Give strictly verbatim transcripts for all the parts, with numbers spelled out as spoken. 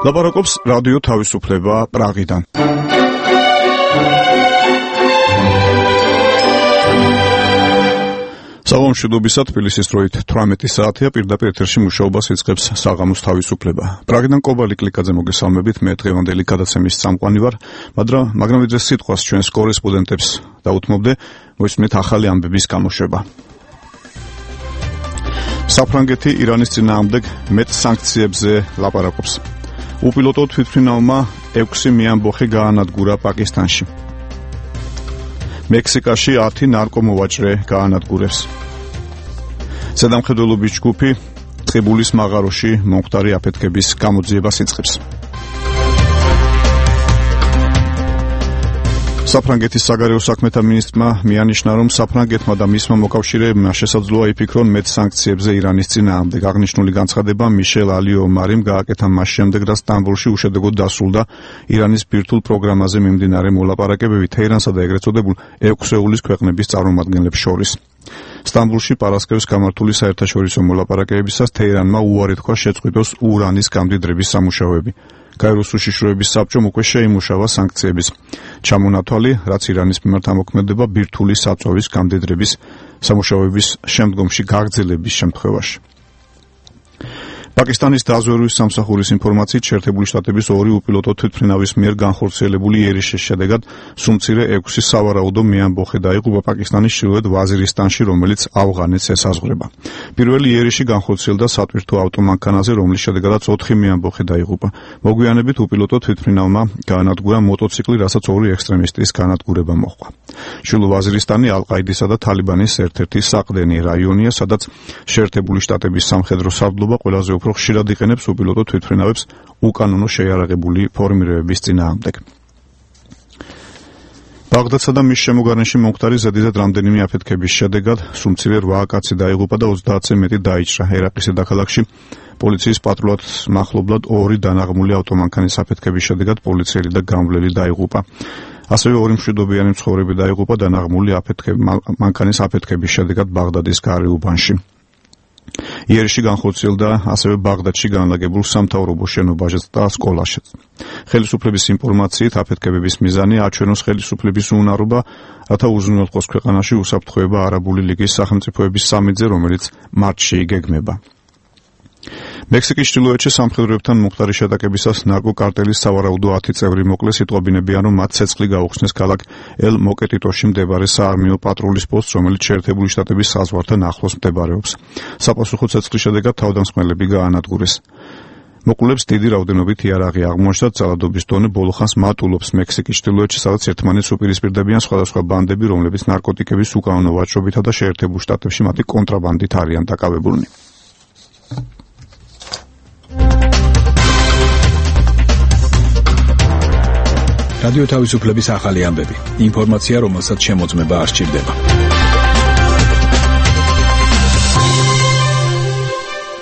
ლაპარაკობს რადიო თავისუფლება პრაღიდან. საღამომშვიდობისა თბილისის დროით თვრამეტი საათია, პირდაპირ ეთერში მუშაობას იწყებს საღამოს თავისუფლება. პრაღიდან კობალი კლიკაძე მოგესალმებით, მე დღევანდელი გადაცემის წამყვანი ვარ, მაგრამ მაგრამ ვიდრე სიტყვას ჩვენს კორესპონდენტებს დაუთმობდე, მოისმენთ ახალი ამბების გამოშვება. საფრანგეთი ირანის წინააღმდეგ მეტ სანქციებზე ლაპარაკობს. უპილოტო თვითმფრინავმა ექვსი მეამბოხი გაანადგურა პაკისტანში. მექსიკაში ათი ნარკომოვაჭრე გაანადგურებს. ზედამხედველობის ჯგუფი ტყიბულის მაღაროში მომხდარი აფეთქების გამოძიებას იწყებს. საფრანგეთის საგარეო საქმეთა მინისტრმა მიანიშნა, რომ საფრანგეთმა და მისმა მოკავშირეებმა შესაძლოა იფიქრონ მეტ სანქციებზე ირანის წინააღმდეგ. აღნიშნული განცხადება მიშელ ალიომარიმ გააკეთა მას შემდეგ, რაც სტამბოლში უშედეგოდ დასრულდა ირანის ბირთვულ პროგრამაზე მიმდინარე მოლაპარაკებები თეირანსა და ეგრეთ წოდებულ ექვსეულის ქვეყნების წარმომადგენლებს შორის. სტამბოლში პარასკევს გამართული საერთაშორისო მოლაპარაკებებისას თეირანმა უარი თქვა შეწყვიტოს ურანის გამდიდრების სამუშაოები. გაეროს უშიშროების საბჭომ უკვე შეიმუშავა სანქციების ჩამონათვალი, რაც ირანის მიმართ ამოქმედება ბირთვული საწვავის გამდიდრების სამუშაოების შემდგომში გაგრძელების შემთხვევაში. პაკისტანის დაზვერვის სამსახურის ინფორმაციით, შეერთებული შტატების ორი უპილოტო თვითმფრინავის მიერ განხორციელებული იერიშის შედეგად სუმცირე ექვსი სავარაუდო მეამბოხი დაიღუპა პაკისტანის ჩრდილოეთ ვაზირისტანში, რომელიც ავღანეთს ესაზღვრება. პირველი იერიში განხორციელდა სატვირთო ავტომანქანაზე, რომლის შედეგადაც ოთხი მეამბოხი დაიღუპა. მოგვიანებით უპილოტო თვითმფრინავმა გაანადგურა მოტოციკლი, რასაც ორი ექსტრემისტის განადგურება მოჰყვა. ჩრდილო ვაზირისტანი ალ-ყაიდისა და თალიბანის ერთ-ერთი საყრდენი რაიონია, სადაც შეერთებული შტატების სამხედრო სარდლობა ყველაზე უფრო ხშირად იყენებს უპილოტო თვითმფრინავებს უკანონო შეიარაღებული ფორმირებების წინააღმდეგ. ბაღდადსა და მის შემოგარენში მომხდარი ზედიზედ რამდენიმე აფეთქების შედეგად სუმცირე რვა კაცი დაიღუპა და ოცდაათზე მეტი დაიჭრა. ერაყის დედაქალაქში პოლიციის პატრულად მახლობლად ორი დანაღმული ავტომანქანის აფეთქების შედეგად პოლიციელი და გამვლელი დაიღუპა. ასევე ორი მშვიდობიანი მცხოვრები დაიღუპა დანაღმული მანქანის აფეთქების შედეგად ბაღდადის გარეუბანში. იერიში განხორციელდა ასევე ბაღდადში განლაგებულ სამთავრობო შენობაშიც და სკოლაშიც. ხელისუფლების ინფორმაციით, აფეთქებების მიზანი აჩვენოს ხელისუფლების უნარობა, რათა უზრუნველყოს ქვეყანაში უსაფრთხოება არაბული ლიგის სახელმწიფოების სამიტზე, რომელიც მარტში იგეგმება. მექსიკის ჩრდილოეთში სამხედროებთან მომხდარი შეტაკებისას ნარკოკარტელის სავარაუდო ათი წევრი მოკლეს, იტყობინებიან, რომ მათ ცეცხლი გაუხსნეს ქალაქ ელ-მოკეტიტოში მდებარე საარმიო პატრულის პოსტს, რომელიც შეერთებული შტატების საზღვართან ახლოს მდებარეობს. საპასუხო ცეცხლის შედეგად თავდამსხმელები გაანადგურეს. მოკლულებს დიდი რაოდენობით იარაღი აღმოაჩნდათ, ძალადობის დონე ბოლო ხანს მატულობს მექსიკის ჩრდილოეთში, სადაც ერთმანეთს უპირისპირდებიან სხვადასხვა ბანდები, რომლებიც ნარკოტიკების უკანონო ვაჭრობითა და შეერთებულ შტატებში მათი კონტრაბანდით არიან დაკავებულნი. რადიო თავისუფლების ახალი ამბები. ინფორმაცია, რომელსაც შემოწმება არ სჭირდება.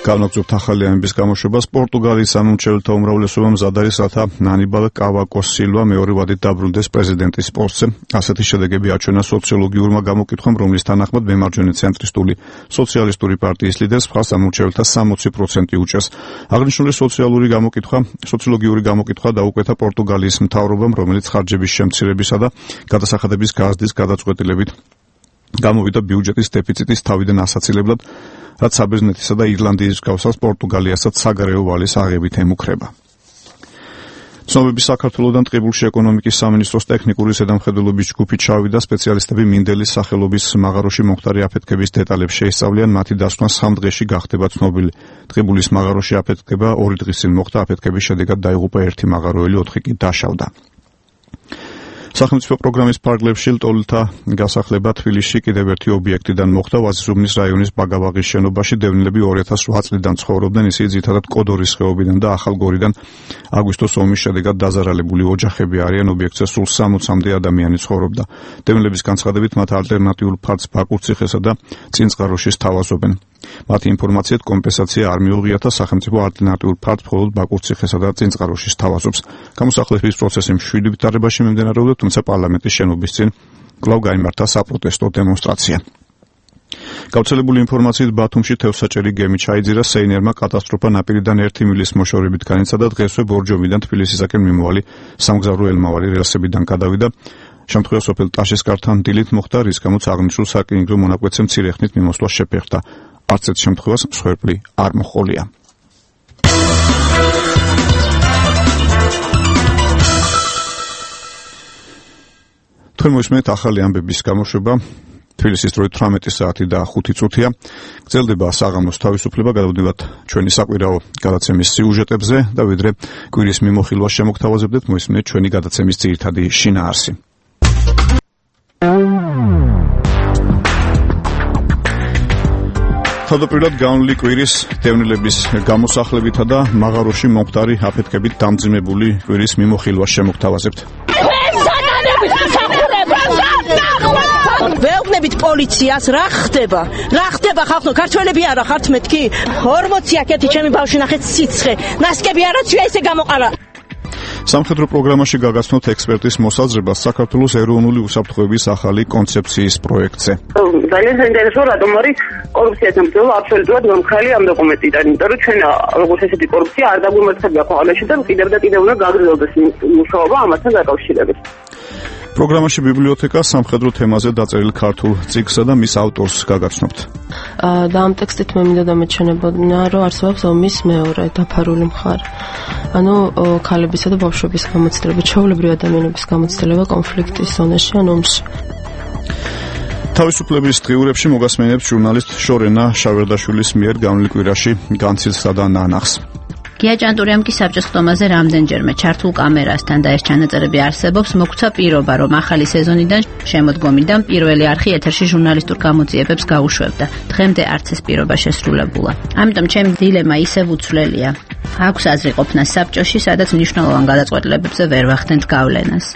განაგზობთ ახალი ამბების გამოშვებას. პორტუგალიის სამმართველთა უმრავლესობა მზად არის, რათა ანიბალ კავაკოს სილვა მეორე ვადით დაბრუნდეს პრეზიდენტის პოსტზე. ასეთი შედეგები აჩვენა სოციოლოგიურმა გამოკითხვამ, რომლის თანახმად მემარჯვენე ცენტრისტული სოციალისტური პარტიის ლიდერს მხარს სამმართველთა სამოცი პროცენტი უჭერს. აღნიშნული სოციალური გამოკითხვა, სოციოლოგიური გამოკითხვა დაუკვეთა პორტუგალიის მთავრობამ, რომელიც ხარჯების შემცირებისა და გადასახადების გაზრდის გადაწყვეტილებით გამოვიდა ბიუჯეტის დეფიციტის თავიდან ასაცილებლად, რაც საბერძნეთისა და ირლანდიის მსგავსად პორტუგალიასაც საგარეო ვალის აღებით ემუქრება. ცნობები საქართველოსთან ტყიბულში ეკონომიკის სამინისტროს ტექნიკური ზედამხედველობის ჯგუფი ჩავიდა. სპეციალისტები მინდელის სახელობის მაღაროში მომხდარი აფეთქების დეტალებს შეისწავლიან. მათი დასვნა სამ დღეში გახდება ცნობილი. ტყიბულის მაღაროში აფეთქება ორი დღის წინ მოხდა. აფეთქების შედეგად დაიღუპა ერთი მაღაროელი, ოთხი კი დაშავდა. სახელმწიფო პროგრამის ფარგლებში ლტოლთა გასახლება თბილისში კიდევ ერთი ობიექტიდან მოხდა. ვაზირუბნის რაიონის ბაგავაღის შენობაში დევნილები ორი ათას ოთხ წლიდან ცხოვრობდნენ, ისინი ძირითადად კოდორის ხეობიდან და ახალგორიდან. აგვისტოს ომის შედეგად დაზარალებული ოჯახები არიან. ობიექტზე სულ სამოცამდე ადამიანი ცხოვრობდა. დევნილების განცხადებით, მათ ალტერნატიულ ფარდს ბაკურციხესა და წინწყაროში სთავაზობენ. მათი ინფორმაციით კომპენსაცია არ მიუღიათ და სახელმწიფო ალტერნატიულ ფარდს მხოლოდ ბაკურციხესა და წინწყაროში სთავაზობს. გამოსახლების პროცესი მშვიდი ვითარებაში მიმდინარეობდა, თუმცა პარლამენტის შენობის წინ კვლავ გაიმართა საპროტესტო დემონსტრაცია. გავრცელებული ინფორმაციით ბათუმში თევზსაჭერი გემი ჩაიძირა, სეინერმა კატასტროფა ნაპირიდან ერთი მილის მოშორებით განიცადა, დღესვე ბორჯომიდან თბილისისაკენ მიმავალი სამგზავრო ელმავალი რელსებიდან გადავიდა. შემთხვევა სოფელ ტაშისკართან დილით მოხდა, რის გამოც აღნიშნულ საკინგრო მონაკვეთზე მცირე ხნით მიმოსვლა შეფერხდა. არც ერთ შემთხვევას მსხვერპლი არ მოჰყოლია. თქვენ მოისმენთ ახალი ამბების გამოშვება. თბილისის დროით თვრამეტი საათი და ხუთი წუთია. გრძელდება საღამოს თავისუფლება, გადავდივართ ჩვენი საკვირაო გადაცემის სიუჟეტებზე და ვიდრე კვირის მიმოხილვას შემოგთავაზებდეთ, მოისმენთ ჩვენი გადაცემის ძირითადი შინაარსი. თავდაპირველად განვლილი კვირის დევნილების გამოსახლებითა და მაღაროში მომხდარი აფეთქებით დამძიმებული კვირის მიმოხილვას შემოგთავაზებთ. ვეუბნებით პოლიციას, რა ხდება? რა ხდება ხალხო? ქართველები არა ხართ მეთქი? ორმოცი აკეთი ჩემი ბავშვი ნახეთ სიცხე. ნასკები არაცვია ესე გამოყარა. სამხედრო პროგრამაში გაგაცნოთ ექსპერტის მოსაზრებას საქართველოს ეროვნული უსაფრთხოების ახალი კონცეფციის პროექტზე. ძალიან საინტერესო, რატომ არის კორუფციასთან ბრძოლა აბსოლუტურად გამქრალი ამ დოკუმენტიდან, იმიტომ რომ ჩვენ როგორც ესეთი კორუფცია არ დაგვიმართებია ქვეყანაში და კიდევ და კიდევ უნდა გაგრძელდეს მუშაობა ამასთან დაკავშირებით. პროგრამაში ბიბლიოთეკა სამხედრო თემაზე დაწერილ ქართულ წიგნსა და მის ავტორს გაგაცნობთ. და ამ ტექსტით მე მინდა დამეჩვენებოდნენ, რომ არსებობს ომის მეორე დაფარული მხარე. ანუ ქალებისა და ბავშვების გამოცდილება, ჩვეულებრივი ადამიანების გამოცდილება კონფლიქტის ზონაში ან ომში. თავისუფლების დღიურებში მოგასმენებთ ჟურნალისტ შორენა შავერდაშვილის მიერ განვლილ კვირაში განცილსა და ნანახს. გია ჭანტურიამ კი საბჭოს ხტომაზე რამდენჯერმე ჩართულ კამერასთან და ეს ჩანაწერები არსებობს, მოგცა პირობა, რომ ახალი სეზონიდან შემოდგომიდან პირველი არხი ეთერში ჟურნალისტურ გამოძიებებს გაუშვებდა. დღემდე არც ეს პირობა შესრულებულა. ამიტომ ჩემი დილემა ისევ უცვლელია. აქვს აზრი ყოფნა საბჭოში, სადაც მნიშვნელოვან გადაწყვეტილებებზე ვერ ვახდენთ გავლენას.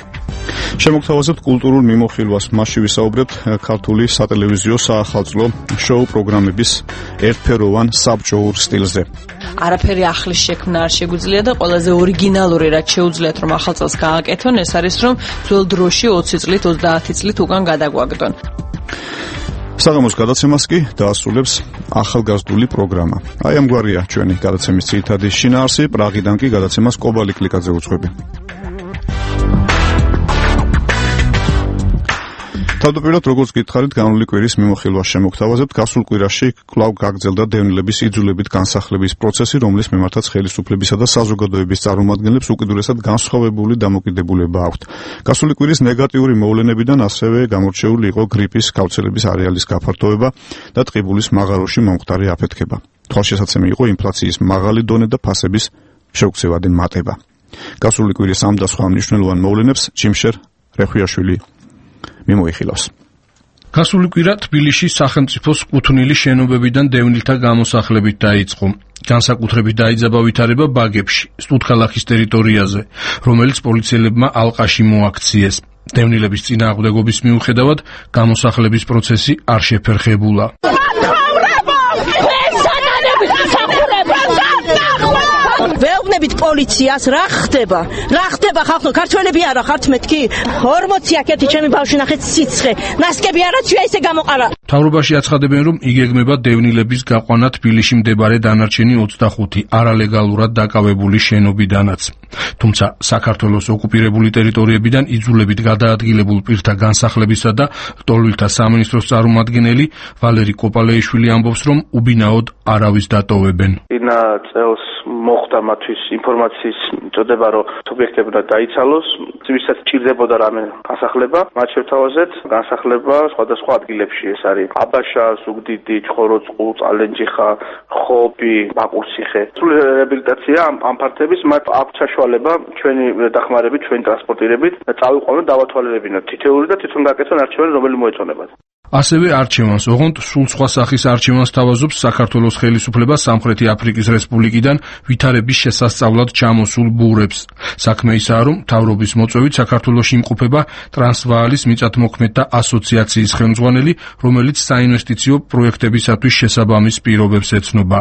შემოგთავაზებთ კულტურულ მიმოხილვას, მასში ვისაუბრებთ ქართული სატელევიზიო საახალწლო შოუ პროგრამების ერთფეროვან საბჭოურ სტილზე. არაფერი ახლის შექმნა არ შეგვიძლია და ყველაზე ორიგინალური რაც შეუძლიათ რომ ახალ წელს გააკეთონ, ეს არის რომ ძველ დროში ოცი წლით, ოცდაათი წლით უკან გადაგვაგდონ. საღამოს გადაცემას კი დაასრულებს ახალგაზრდული პროგრამა. აი ამგვარია ჩვენი გადაცემის ძირითადი შინაარსი, პრაღიდან კი გადაცემას კობალი კლიკაძე უძღვები. თავდაპირველად როგორც გითხარით, განვლილი კვირის მიმოხილვას შემოგთავაზებთ. გასულ კვირაში კვლავ გაგრძელდა დევნილების იძულებით განსახლების პროცესი, რომლის მიმართაც ხელისუფლებისა და საზოგადოების წარმომადგენლებს უკიდურესად განსხვავებული დამოკიდებულება აქვთ. გასული კვირის ნეგატიური მოვლენებიდან ასევე გამორჩეული იყო გრიპის გავრცელების არეალის გაფართოება და ტყიბულის მაღაროში მომხდარი აფეთქება. თვალშესაცემი იყო ინფლაციის მაღალი დონე და ფასების შეუქცევადი მატება. გასული კვირის ამ და სხვა მნიშვნელოვან მოვლენებს ჯიმშერ რეხვიაშვილი მიმოიხილავს. გასული კვირა თბილისში სახელმწიფოს კუთვნილი შენობებიდან დევნილთა გამოსახლებით დაიწყო. განსაკუთრებით დაიძაბა ვითარება ბაგებში, სტუდქალაქის ტერიტორიაზე, რომელიც პოლიციელებმა ალყაში მოაქციეს. დევნილების წინააღმდეგობის მიუხედავად გამოსახლების პროცესი არ შეფერხებულა. ვეუბნებით პოლიციას, რა ხდება? რა ხდება ხალხო? ქართველები არა ხართ მეთქი? ორმოცი აკეთი ჩემი ბავშვი ნახეთ სიცხე. ნასკები არაცვია ესე გამოყარა. მთავრობაში აცხადებენ, რომ იგეგმება დევნილების გაყვანა თბილისში მდებარე დანარჩენი ოცდახუთი არალეგალურად დაკავებული შენობიდანაც. თუმცა საქართველოს ოკუპირებული ტერიტორიებიდან იძულებით გადაადგილებულ პირთა განსახლებისა და ლტოლვილთა სამინისტროს წარმომადგენელი ვალერი კოპალეიშვილი ამბობს, რომ უბინაოდ არავის დატოვებენ. წინა წელს მოხდა მათთვის ინფორმაციის წოდება, რომ სუბიექტები უნდა დაიცალოს, ვისაც ჭირდებოდა რამე განსახლება, მათ შევთავაზეთ განსახლება სხვადასხვა ადგილებში. ეს არის აბაშა, ზუგდიდი, ჩხოროწყუ, წალენჯიხა, ხობი, ბაკურციხე. სრული რეაბილიტაცია ამ ფართების მათ აქვს საშუალება ჩვენი დახმარებით, ჩვენი ტრანსპორტირებით წავიყვანოთ, დავათვალიერებინოთ თითოეული და თვითონ გაკეთონ არჩევანი, რომელიც მოეწონებათ. ასევე არჩევანს, ოღონდ სულ სხვა სახის არჩევანს თავაზობს საქართველოს ხელისუფლება სამხრეთი აფრიკის რესპუბლიკიდან ვითარების შესასწავლად ჩამოსულ ბურებს. საქმე ისაა, რომ მთავრობის მოწვევით საქართველოში იმყოფება ტრანსვაალის მიწათმოქმედთა ასოციაციის ხელმძღვანელი, რომელიც საინვესტიციო პროექტებისათვის შესაბამის პირობებს ეცნობა.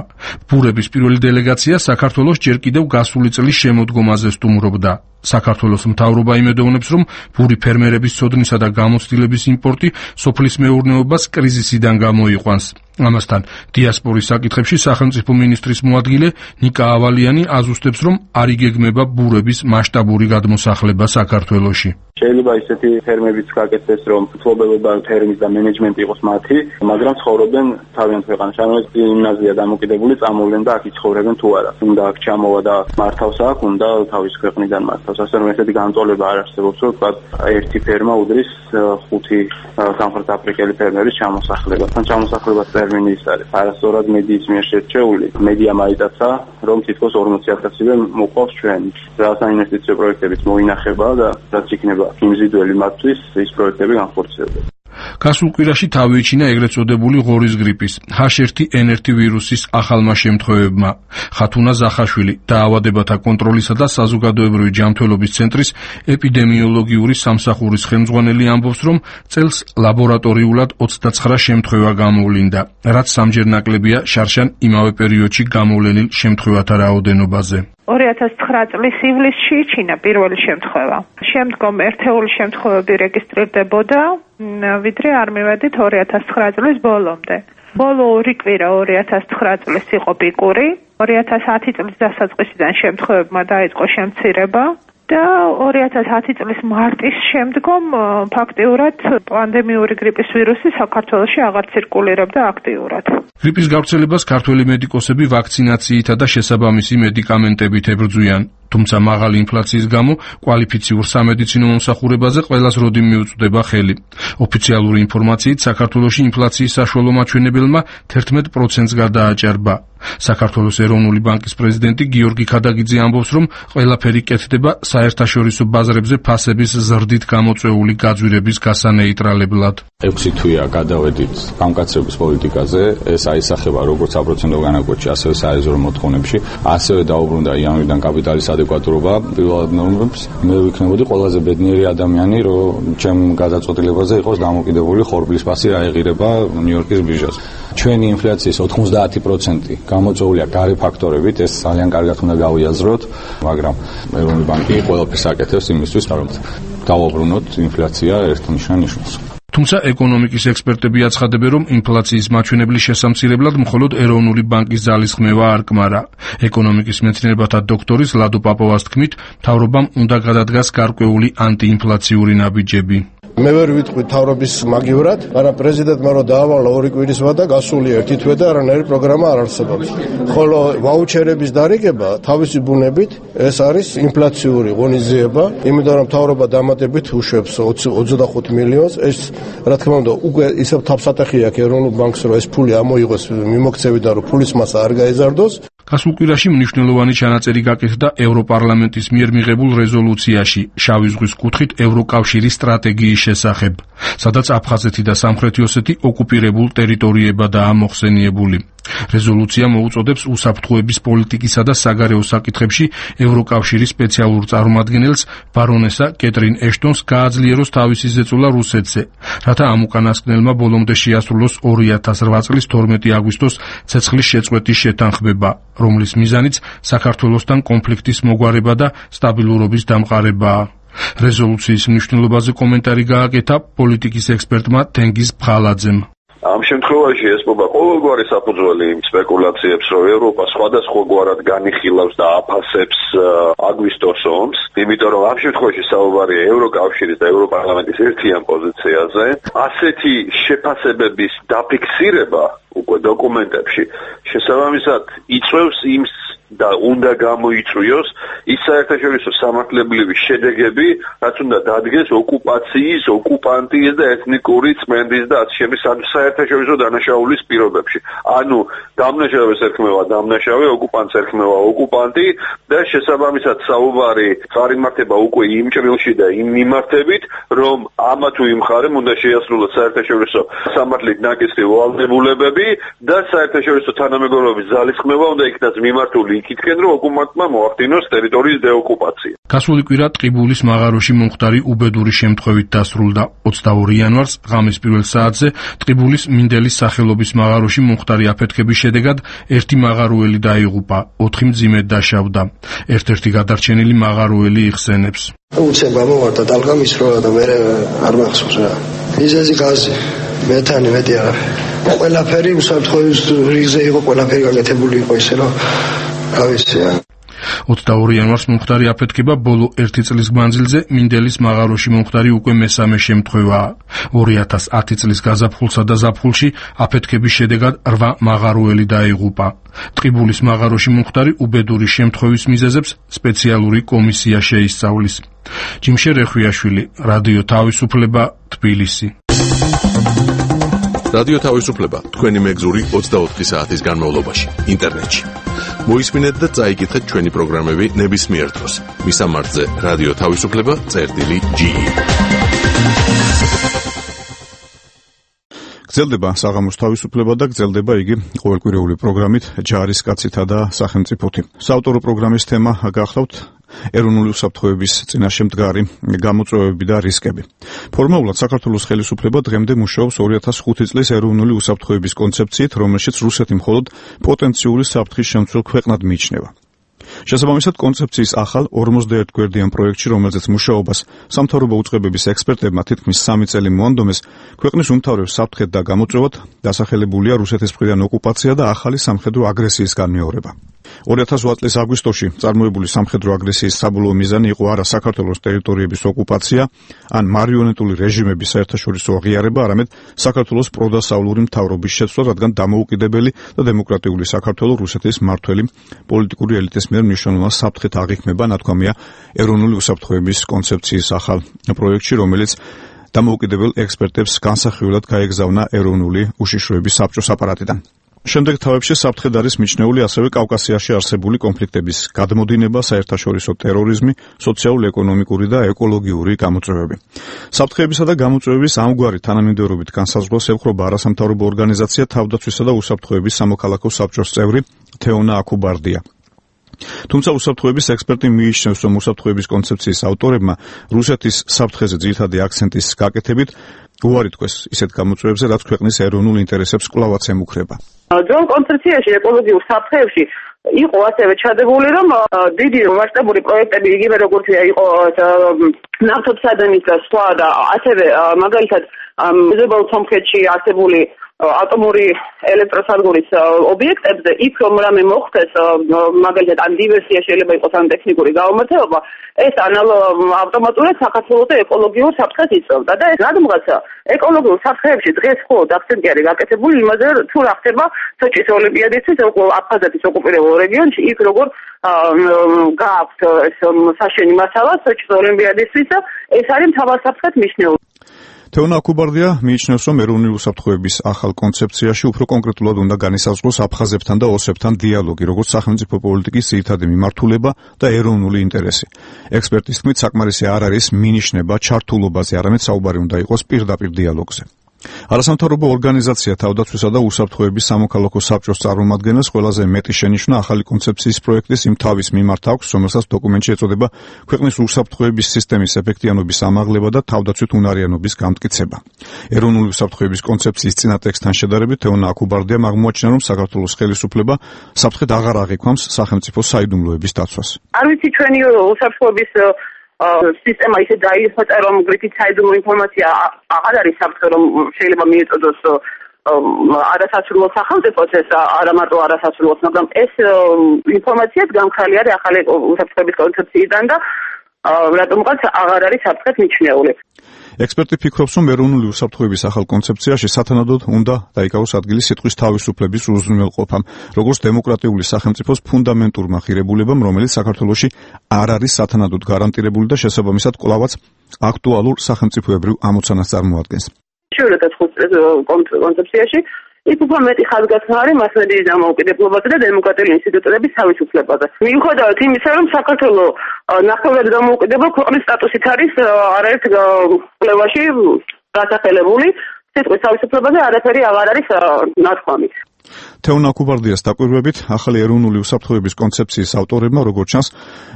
ბურების პირველი დელეგაცია საქართველოს ჯერ კიდევ გასული წლის შემოდგომაზე სტუმრობდა. საქართველოს მთავრობა იმედოვნებს, რომ ბური ფერმერების ცოდნისა და გამოცდილების იმპორტი სოფლის მეურნეობას კრიზისიდან გამოიყვანს. ამასთან დიასპორის საკითხებში სახელმწიფო მინისტრის მოადგილე ნიკა ავალიანი აზუსტებს, რომ არ იგეგმება ბურების მასშტაბური გადმოსახლება საქართველოში. შეიძლება ისეთი ფერმებიც გაკეთდეს, რომ მფლობელობა ფერმის და მენეჯმენტი იყოს მათი, მაგრამ ცხოვრობენ თავიანთ ქვეყანაში, ანუ ეს გიმნაზია დამოკიდებული, წამოვლენ და აქ იცხოვრებენ თუ არა. უნდა აქ ჩამოვა და მართავს აქ, უნდა თავის ქვეყნიდან მართავს. ასე რომ ესეთი განწყობილება არ არსებობს, რომ თქვა ერთი ფერმა უდრის ხუთი სამხრეთ აფრიკელი ფერმერის ჩამოსახლებას. თან ჩამოსახლებას ტერმინი ის არის. არასწორად მედიის მიერ შერჩეული. მედიამ აიტაცა, რომ თითქოს ორმოცი ათასივე მოყავს ჩვენ. რა საინვესტიციო პროექტებიც მოინახება და რაც იქნება იმზიდველი მათთვის ის პროექტები განხორციელდება. გასულ კვირაში თავი იჩინა ეგრეთ წოდებული ღორის გრიპის ჰაჩ ერთი ენ ერთი ვირუსის ახალმა შემთხვევებმა. ხათუნა ზახაშვილი დაავადებათა კონტროლისა და საზოგადოებრივი ჯანმრთელობის ცენტრის ეპიდემიოლოგიური სამსახურის ხელმძღვანელი ამბობს, რომ წელს ლაბორატორიულად ოცდაცხრა შემთხვევა გამოვლინდა, რაც სამჯერ ნაკლებია შარშან იმავე პერიოდში გამოვლენილ შემთხვევათა რაოდენობაზე. ორი ათას ცხრა წლის ივლისში იჩინა პირველი შემთხვევა. შემდგომ ერთეული შემთხვევები რეგისტრირდებოდა, ვიდრე არ მივედით ორი ათას ცხრა წლის ბოლომდე. ბოლო ორი კვირა ორი ათას ცხრა წლის იყო პიკური, ორი ათას ათი წლის დასაწყისიდან შემთხვევებმა დაიწყო შემცირება და ორი ათას ათი წლის მარტის შემდგომ ფაქტიურად პანდემიური გრიპის ვირუსი საქართველოში აღარ ცირკულირებდა აქტიურად. გრიპის გავრცელებას ქართველი მედიკოსები ვაქცინაციითა და შესაბამისი მედიკამენტებით ებრძვიან. თუმცა მაღალი ინფლაციის გამო კვალიფიციურ სამედიცინო მომსახურებაზე ყველას როდი მიუწვდება ხელი. ოფიციალური ინფორმაციით საქართველოში ინფლაციის საშუალო მაჩვენებელმა თერთმეტ პროცენტს გადააჭარბა. საქართველოს ეროვნული ბანკის პრეზიდენტი გიორგი ქადაგიძე ამბობს, რომ ყველაფერი კეთდება საერთაშორისო ბაზრებზე ფასების ზრდით გამოწვეული გაძვირების გასანეიტრალებლად. ექვსი თვეა გადავედით გამკაცრების პოლიტიკაზე, ეს აისახება როგორც საპროცენტო განაკვეთში, ასევე საერზო მოთხოვნებში, ასევე დაუბრუნდა იანვრიდან კაპიტალის ადეკვატურობა პირველად ნორმებს. მე ვიქნებოდი ყველაზე ბედნიერი ადამიანი, რომ ჩემ გადაწყვეტილებაზე იყოს დამოკიდებული ხორბლის ფასი რა ეღირება ნიუ-იორკის ბირჟაზე. ჩვენი ინფლაციის ოთხმოცდაათი პროცენტი გამოწვეულია გარე ფაქტორებით, ეს ძალიან კარგად უნდა გავიაზროთ, მაგრამ ეროვნული ბანკი ყველაფერს აკეთებს იმისთვის, რომ დავუბრუნოთ ინფლაცია ერთნიშან ნიშნავს. თუმცა ეკონომიკის ექსპერტები აცხადებენ, რომ ინფლაციის მაჩვენებლის შესამცირებლად მხოლოდ ეროვნული ბანკის ძალისხმევა არ კმარა. ეკონომიკის მეცნიერებათა დოქტორის ლადო პაპოვას თქმით, მთავრობამ უნდა გადადგას გარკვეული ანტიინფლაციური ნაბიჯები. მე ვერ ვიტყვი თავრობის მაგივრად, მაგრამ პრეზიდენტმა რო დაავალა ორი კვირისმა და გასული ერთი თვე და არანაირი პროგრამა არ არსებობს. ხოლო ვაუჩერების დარიგება თავისი ბუნებით ეს არის ინფლაციური ღონისძიება, იმიტომ რომ თავრობა დამატებით უშვებს ოცდახუთ მილიონს, ეს რა თქმა უნდა უკვე ისევ თავსატეხი აქვს ეროვნულ ბანკს, რომ ეს ფული ამოიღოს მიმოქცევიდან, რომ ფულის მასა არ გაეზარდოს. გასულ კვირაში მნიშვნელოვანი ჩანაწერი გაკეთდა ევროპარლამენტის მიერ მიღებულ რეზოლუციაში შავი ზღვის კუთხით ევროკავშირის სტრატეგიის შესახებ, სადაც აფხაზეთი და სამხრეთი ოსეთი ოკუპირებულ ტერიტორიებადაა მოხსენიებული. რეზოლუცია მოუწოდებს უსაფრთხოების პოლიტიკისა და საგარეო საკითხებში ევროკავშირის სპეციალურ წარმომადგენელს ბარონესა კეტრინ ეშტონს გააძლიეროს თავისი ზეწოლა რუსეთზე, რათა ამ უკანასკნელმა ბოლომდე შეასრულოს ორი ათას რვა წლის თორმეტი აგვისტოს ცეცხლის შეწყვეტის შეთანხმება, რომლის მიზანიც საქართველოსთან კონფლიქტის მოგვარება და სტაბილურობის დამყარებაა. რეზოლუციის მნიშვნელობაზე კომენტარი გააკეთა პოლიტიკის ექსპერტმა თენგიზ ფხალაძემ. ამ შემთხვევაში ესმობა ყოველგვარი საფუძველი სპეკულაციებს, რომ ევროპა სხვადასხვაგვარად განიხილავს და აფასებს აგვისტოს ომს, იმიტომ რომ ამ შემთხვევაში საუბარია ევროკავშირის და ევროპარლამენტის ერთიან პოზიციაზე. ასეთი შეფასებების დაფიქსირება უკვე დოკუმენტებში შესაბამისად იწვევს იმ და უნდა გამოიწვიოს ის საერთაშორისო სამართლებრივი შედეგები, რაც უნდა დადგეს ოკუპაციის, ოკუპანტის და ეთნიკური წმენდის და ასე შემდეგ საერთაშორისო დანაშაულის პირობებში. ანუ დამნაშავეს ერქმევა დამნაშავე, ოკუპანტს ერქმევა ოკუპანტი და შესაბამისად საუბარი წარიმართება უკვე იმ ჭრილში და იმ მიმართებით, რომ ამა თუ იმ მხარემ უნდა შეასრულოს საერთაშორისო სამართლით ნაკისრი ვალდებულებები და საერთაშორისო თანამეგობრობის ძალისხმევა უნდა იქნას მიმართული იქითკენ, რომ ოკუპანტმა მოახდინოს ტერიტორიის დეოკუპაცია. გასული კვირა ტყიბულის მაღაროში მომხდარი უბედური შემთხვევით დასრულდა. ოცდაორი იანვარს ღამის პირველ საათზე ტყიბულის მინდელის სახელობის მაღაროში მომხდარი აფეთქების შედეგად ერთი მაღაროელი დაიღუპა, ოთხი მძიმედ დაშავდა. ერთ-ერთი გადარჩენილი მაღაროელი იხსენებს. უცებ გამოვარდა ტალღა მისროლა და მე არ მახსოვს რა. მიზეზი გაზი. მეთანი მეტი არა ყველაფერი იმ საფრთხის რიგზე იყო ყველაფერი გაკეთებული იყო ისე რომ ავიცია ოცდაორი იანვარს მომხდარი აფეთქება ბოლო ერთი წლის მანძილზე მინდელის მაღაროში მომხდარი უკვე მესამე შემთხვევაა. ორი ათას ათი წლის გაზაფხულსა და ზაფხულში აფეთქების შედეგად რვა მაღაროელი დაიღუპა. ტყიბულის მაღაროში მომხდარი უბედური შემთხვევის მიზეზებს სპეციალური კომისია შეისწავლის. ჯიმშე რეხვიაშვილი, რადიო თავისუფლება, თბილისი. რადიო თავისუფლება თქვენი მეგზური ოცდაოთხი საათის განმავლობაში ინტერნეტში. მოისმინეთ და წაიკითხეთ ჩვენი პროგრამები ნებისმიერ დროს. მისამართზე რადიო თავისუფლება წერტილი ჯი. გრძელდება საღამოს თავისუფლება და გრძელდება იგი ყოველკვირეული პროგრამით ჯარისკაცითა და სახელმწიფოთი. საავტორო პროგრამის თემა გახლავთ ეროვნული უსაფრთხოების წინაშე მდგარი გამოწვევები და რისკები. ფორმალურად საქართველოს ხელისუფლება დღემდე მუშაობს ორი ათას ხუთი წლის ეროვნული უსაფრთხოების კონცეფციით, რომელშიც რუსეთი მხოლოდ პოტენციური საფრთხის შემცველ ქვეყნად მიიჩნევა. შესაბამისად, კონცეფციის ახალ ორმოცდაერთ გვერდიან პროექტში, რომელზეც მუშაობას სამთავრობო უწყებების ექსპერტებმა თითქმის სამი წელი მოანდომეს, ქვეყნის უმთავრეს საფრთხედ და გამოწვევად დასახელებულია რუსეთის მხრიდან ოკუპაცია და ახალი სამხედრო აგრესიის განმეორება. ორი ათას ოთხ წლის აგვისტოში წარმოებული სამხედრო აგრესიის საბოლოო მიზანი იყო არა საქართველოს ტერიტორიების ოკუპაცია, ან მარიონეტული რეჟიმების საერთაშორისო აღიარება, არამედ საქართველოს პროდასავლური მთავრობის შეცვლა, რადგან დამოუკიდებელი და დემოკრატიული საქართველოს რუსეთის მმართველი პოლიტიკური ელიტის მიერ მნიშვნელოვან საფრთხეთ აღიქმება, ნათქვამია ეროვნული უსაფრთხოების კონცეფციის ახალ პროექტში, რომელიც დამოუკიდებელ ექსპერტებს განსახილველად გაეგზავნა ეროვნული უშიშროების საბჭოს აპარატიდან. შემდეგ თავებში საფრთხედ არის მიჩნეული ასევე კავკასიაში არსებული კონფლიქტების გადმოდინება, საერთაშორისო ტერორიზმი, სოციალურ-ეკონომიკური და ეკოლოგიური გამოწვევები. საფრთხეებისა და გამოწვევების ამგვარი თანამიმდევრობით განსაზღვრას ევხრობა არასამთავრობო ორგანიზაცია თავდაცვისა და უსაფრთხოების სამოქალაქო საბჭოს წევრი თეონა აქუბარდია. თუმცა უსაფრთხოების ექსპერტი მიიჩნევს, რომ უსაფრთხოების კონცეფციის ავტორებმა რუსეთის საფრთხეზე ძირითადი აქცენტის გაკეთებით უარი თქვეს ისეთ გამოწვევებზე, რაც ქვეყნის ეროვნულ ინტერესებს კვლავაც ემუქრება. ძველ კონცეფციაში ეკოლოგიურ საფრთხეებში იყო ასევე ჩადებული, რომ დიდი მასშტაბური პროექტები, იგივე როგორც იყო ნავთობსადენის და სხვა და ასევე მაგალითად მეზობელ სომხეთში არსებული ატომური ელექტროსადგურის ობიექტებზე, იქ რომ რამე მოხდეს, მაგალითად ან დივერსია შეიძლება იყოს ან ტექნიკური გაუმართლება, ეს ავტომატურად საქართველოს ეკოლოგიურ საფრთხეს იწვევდა და ეს რადგანაც ეკოლოგიურ საფრთხეებში დღეს მხოლოდ აქცენტი არის გაკეთებული იმაზე, თუ რა ხდება სოჭის ოლიმპიადისთვის აფხაზეთის ოკუპირებულ რეგიონში, იქ როგორ გააქვთ ეს საშენი მასალა სოჭის ოლიმპიადისთვის, ეს არის მთავარ საფრთხეთ მიჩნეული. თეონა აქუბარდია მიიჩნევს, რომ ეროვნული უსაფრთხოების ახალ კონცეფციაში უფრო კონკრეტულად უნდა განისაზღვროს აფხაზებთან და ოსებთან დიალოგი, როგორც სახელმწიფო პოლიტიკის ძირითადი მიმართულება და ეროვნული ინტერესი. ექსპერტის თქმით, საკმარისი არ არის მინიშნება ჩართულობაზე, არამედ საუბარი უნდა იყოს პირდაპირ დიალოგზე. არასამთავრობო ორგანიზაცია თავდაცვისა და უსაფრთხოების სამოქალაქო საბჭოს წარმომადგენელს ყველაზე მეტი შენიშვნა ახალი კონცეფციის პროექტის იმ თავის მიმართ აქვს, რომელსაც დოკუმენტში ეწოდება ქვეყნის უსაფრთხოების სისტემის ეფექტიანობის ამაღლება და თავდაცვით უნარიანობის გამტკიცება. ეროვნული უსაფრთხოების კონცეფციის წინა ტექსტთან შედარებით თეონა აქუბარდიამ აღმოაჩინა, რომ საქართველოს ხელისუფლება საფრთხედ აღარ აღიქვამს სახელმწიფო საიდუმლოების დაცვას. არ ვიცი ჩვენი უსაფრთხოების სისტემა ისე დაიხოცა, რომ გრიფით საიდუმლო ინფორმაცია აღარ არის საფრთხე, რომ შეიძლება მიეწოდოს არასასრულო სახელმწიფოს, ეს არა მარტო არასასრულოს, მაგრამ ეს ინფორმაციაც გამქრალი არის ახალი უსაფრთხოების კონცეფციიდან და რატომღაც აღარ არის საფრთხეთ მიჩნეული. ექსპერტი ფიქრობს, რომ ეროვნული უსაფრთხოების ახალ კონცეფციაში სათანადოდ უნდა დაიკავოს ადგილი სიტყვის თავისუფლების უზრუნველყოფამ, როგორც დემოკრატიული სახელმწიფოს ფუნდამენტურმა ღირებულებამ, რომელიც საქართველოში არ არის სათანადოდ გარანტირებული და შესაბამისად კვლავაც აქტუალურ სახელმწიფოებრივ ამოცანას წარმოადგენს. შევიდეთ კონცეფციაში იქ უფრო მეტი ხაზგასმა არის მასმედიის დამოუკიდებლობაზე და დემოკრატიული ინსტიტუტების თავისუფლებაზე. მიუხედავად იმისა, რომ საქართველოს ნახევრად დამოუკიდებელ ქვეყნის სტატუსით არის არაერთ კვლევაში დასახელებული, სიტყვის თავისუფლებაზე არაფერი აღარ არის ნათქვამი. თეონა აქუბარდიას დაკვირვებით, ახალი ეროვნული უსაფრთხოების კონცეფციის ავტორებმა, როგორც ჩანს,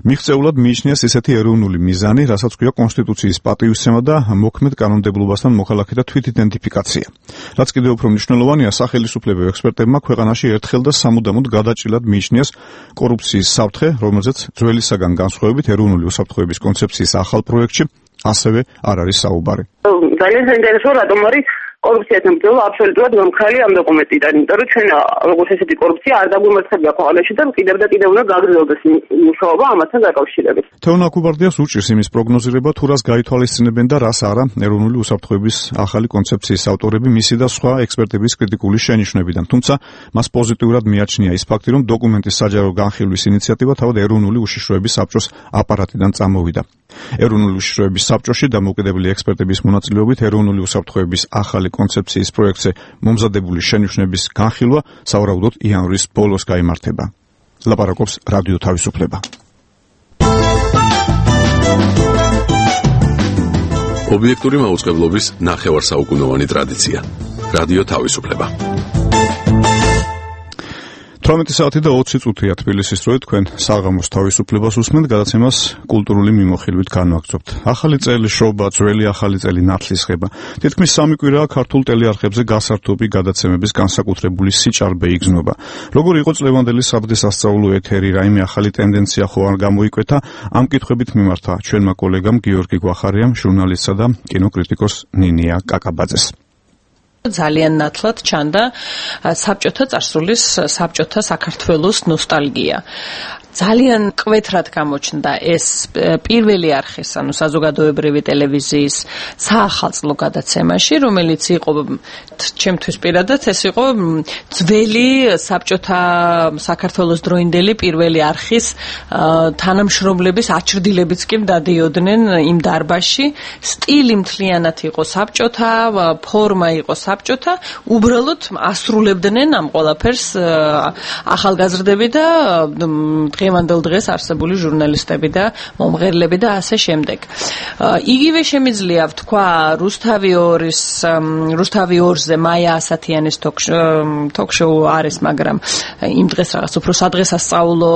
მიღწეულად მიიჩნიეს ისეთი ეროვნული მიზანი, რასაც ქვია კონსტიტუციის პატივისცემა და მოქმედ კანონმდებლობასთან მოხალხეთა თვითიდენტიფიკაცია. რაც კიდევ უფრო მნიშვნელოვანია, სახელისუფლებრივ ექსპერტებმა ქვეყანაში ერთხელ და სამუდამოდ გადაჭრილად მიიჩნიეს კორუფციის საფრთხე, რომელზეც ძველისაგან განსხვავებით ეროვნული უსაფრთხოების კონცეფციის ახალ პროექტში ასევე არ არის საუბარი. ძალიან საინტერესო, რატომ არის კორუფციასთან ბრძოლა აბსოლუტურად გამქრალი ამ დოკუმენტიდან, იმიტომ რომ ჩვენ როგორც ესეთი კორუფცია არ დაგვიმარცხებია ქვეყანაში და კიდევ და კიდევ უნდა გაგრძელდეს მუშაობა ამასთან დაკავშირებით. თეონა კუბარდიას უჭირს იმის პროგნოზირება, თუ რას გაითვალისწინებენ და რას არა ეროვნული უსაფრთხოების ახალი კონცეფციის ავტორები მისი და სხვა ექსპერტების კრიტიკული შენიშვნებიდან. თუმცა მას პოზიტიურად მიაჩნია ის ფაქტი, რომ დოკუმენტის საჯარო განხილვის ინიციატივა თავად ეროვნული უშიშროების საბჭოს აპარატიდან წამოვიდა. ეროვნული უშიშროების საბჭოში დამოუკიდებელი ექსპერტების მონაწილეობით ეროვნული უსაფრთხოების ახალი კონცეფციის პროექტზე მომზადებული შენიშვნების განხილვა სავარაუდოდ იანვრის ბოლოს გაიმართება. ლაპარაკობს რადიო თავისუფლება. ობიექტური მაუწყებლობის ნახევარსაუკუნოვანი ტრადიცია. რადიო თავისუფლება. თვრამეტი საათი და ოცი წუთია თბილისის დროით, თქვენ საღამოს თავისუფლებას უსმენთ, გადაცემას კულტურული მიმოხილვით განვაგრძობთ. ახალი წელი შრობა, ძველი ახალი წელი ნათლისღება. თითქმის სამი კვირაა ქართულ ტელეარხებზე გასართობი გადაცემების განსაკუთრებული სიჭარბე იგრძნობა. როგორ იყო წლევანდელი საბრდისასწაულო ეთერი, რაიმე ახალი ტენდენცია ხო არ გამოიკვეთა? ამ კითხვებით მიმართა ჩვენმა კოლეგამ გიორგი გვახარიამ, ჟურნალისტსა და კინოკრიტიკოს ნინია კაკაბაძეს. ძალიან ნათლად ჩანდა საბჭოთა წარსულის, საბჭოთა საქართველოს ნოსტალგია. ძალიან კვეთრად გამოჩნდა ეს პირველი არხის, ანუ საზოგადოებრივი ტელევიზიის საახალწლო გადაცემაში, რომელიც იყო ჩემთვის პირადად ეს იყო ძველი საბჭოთა საქართველოს დროინდელი პირველი არხის თანამშრომლების აჩრდილებიც კი დადიოდნენ იმ დარბაზში. სტილი მთლიანად იყო საბჭოთა, ფორმა იყო საბჭოთა, უბრალოდ ასრულებდნენ ამ ყველაფერს ახალგაზრდები და დღევანდელ დღეს არსებული ჟურნალისტები და მომღერლები და ასე შემდეგ. იგივე შემიძლია ვთქვა რუსთავი ორის რუსთავი ორზე მაია ასათიანის თოქ-შოუ არის, მაგრამ იმ დღეს რაღაც უფრო სადღესასწაულო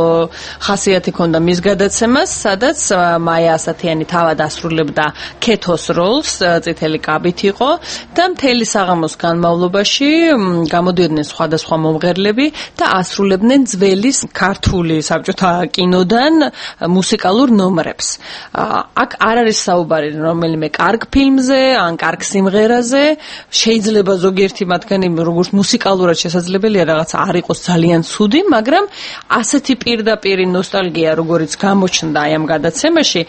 ხასიათი ჰქონდა მის გადაცემას, სადაც მაია ასათიანი თავად ასრულებდა ქეთოს როლს, წითელი კაბით იყო და მთელი საღამოს განმავლობაში გამოდიოდნენ სხვადასხვა მომღერლები და ასრულებდნენ ძველი ქართული საბჭოთა კინოდან მუსიკალურ ნომრებს. აქ არ არის საუბარი რომელიმე კარგ ფილმზე ან კარგ სიმღერაზე, შეიძლება ზოგიერთი მათგანი როგორც მუსიკალურად შესაძლებელია რაღაც არ იყოს ძალიან ცუდი, მაგრამ ასეთი პირდაპირი ნოსტალგია როგორიც გამოჩნდა აი ამ გადაცემაში,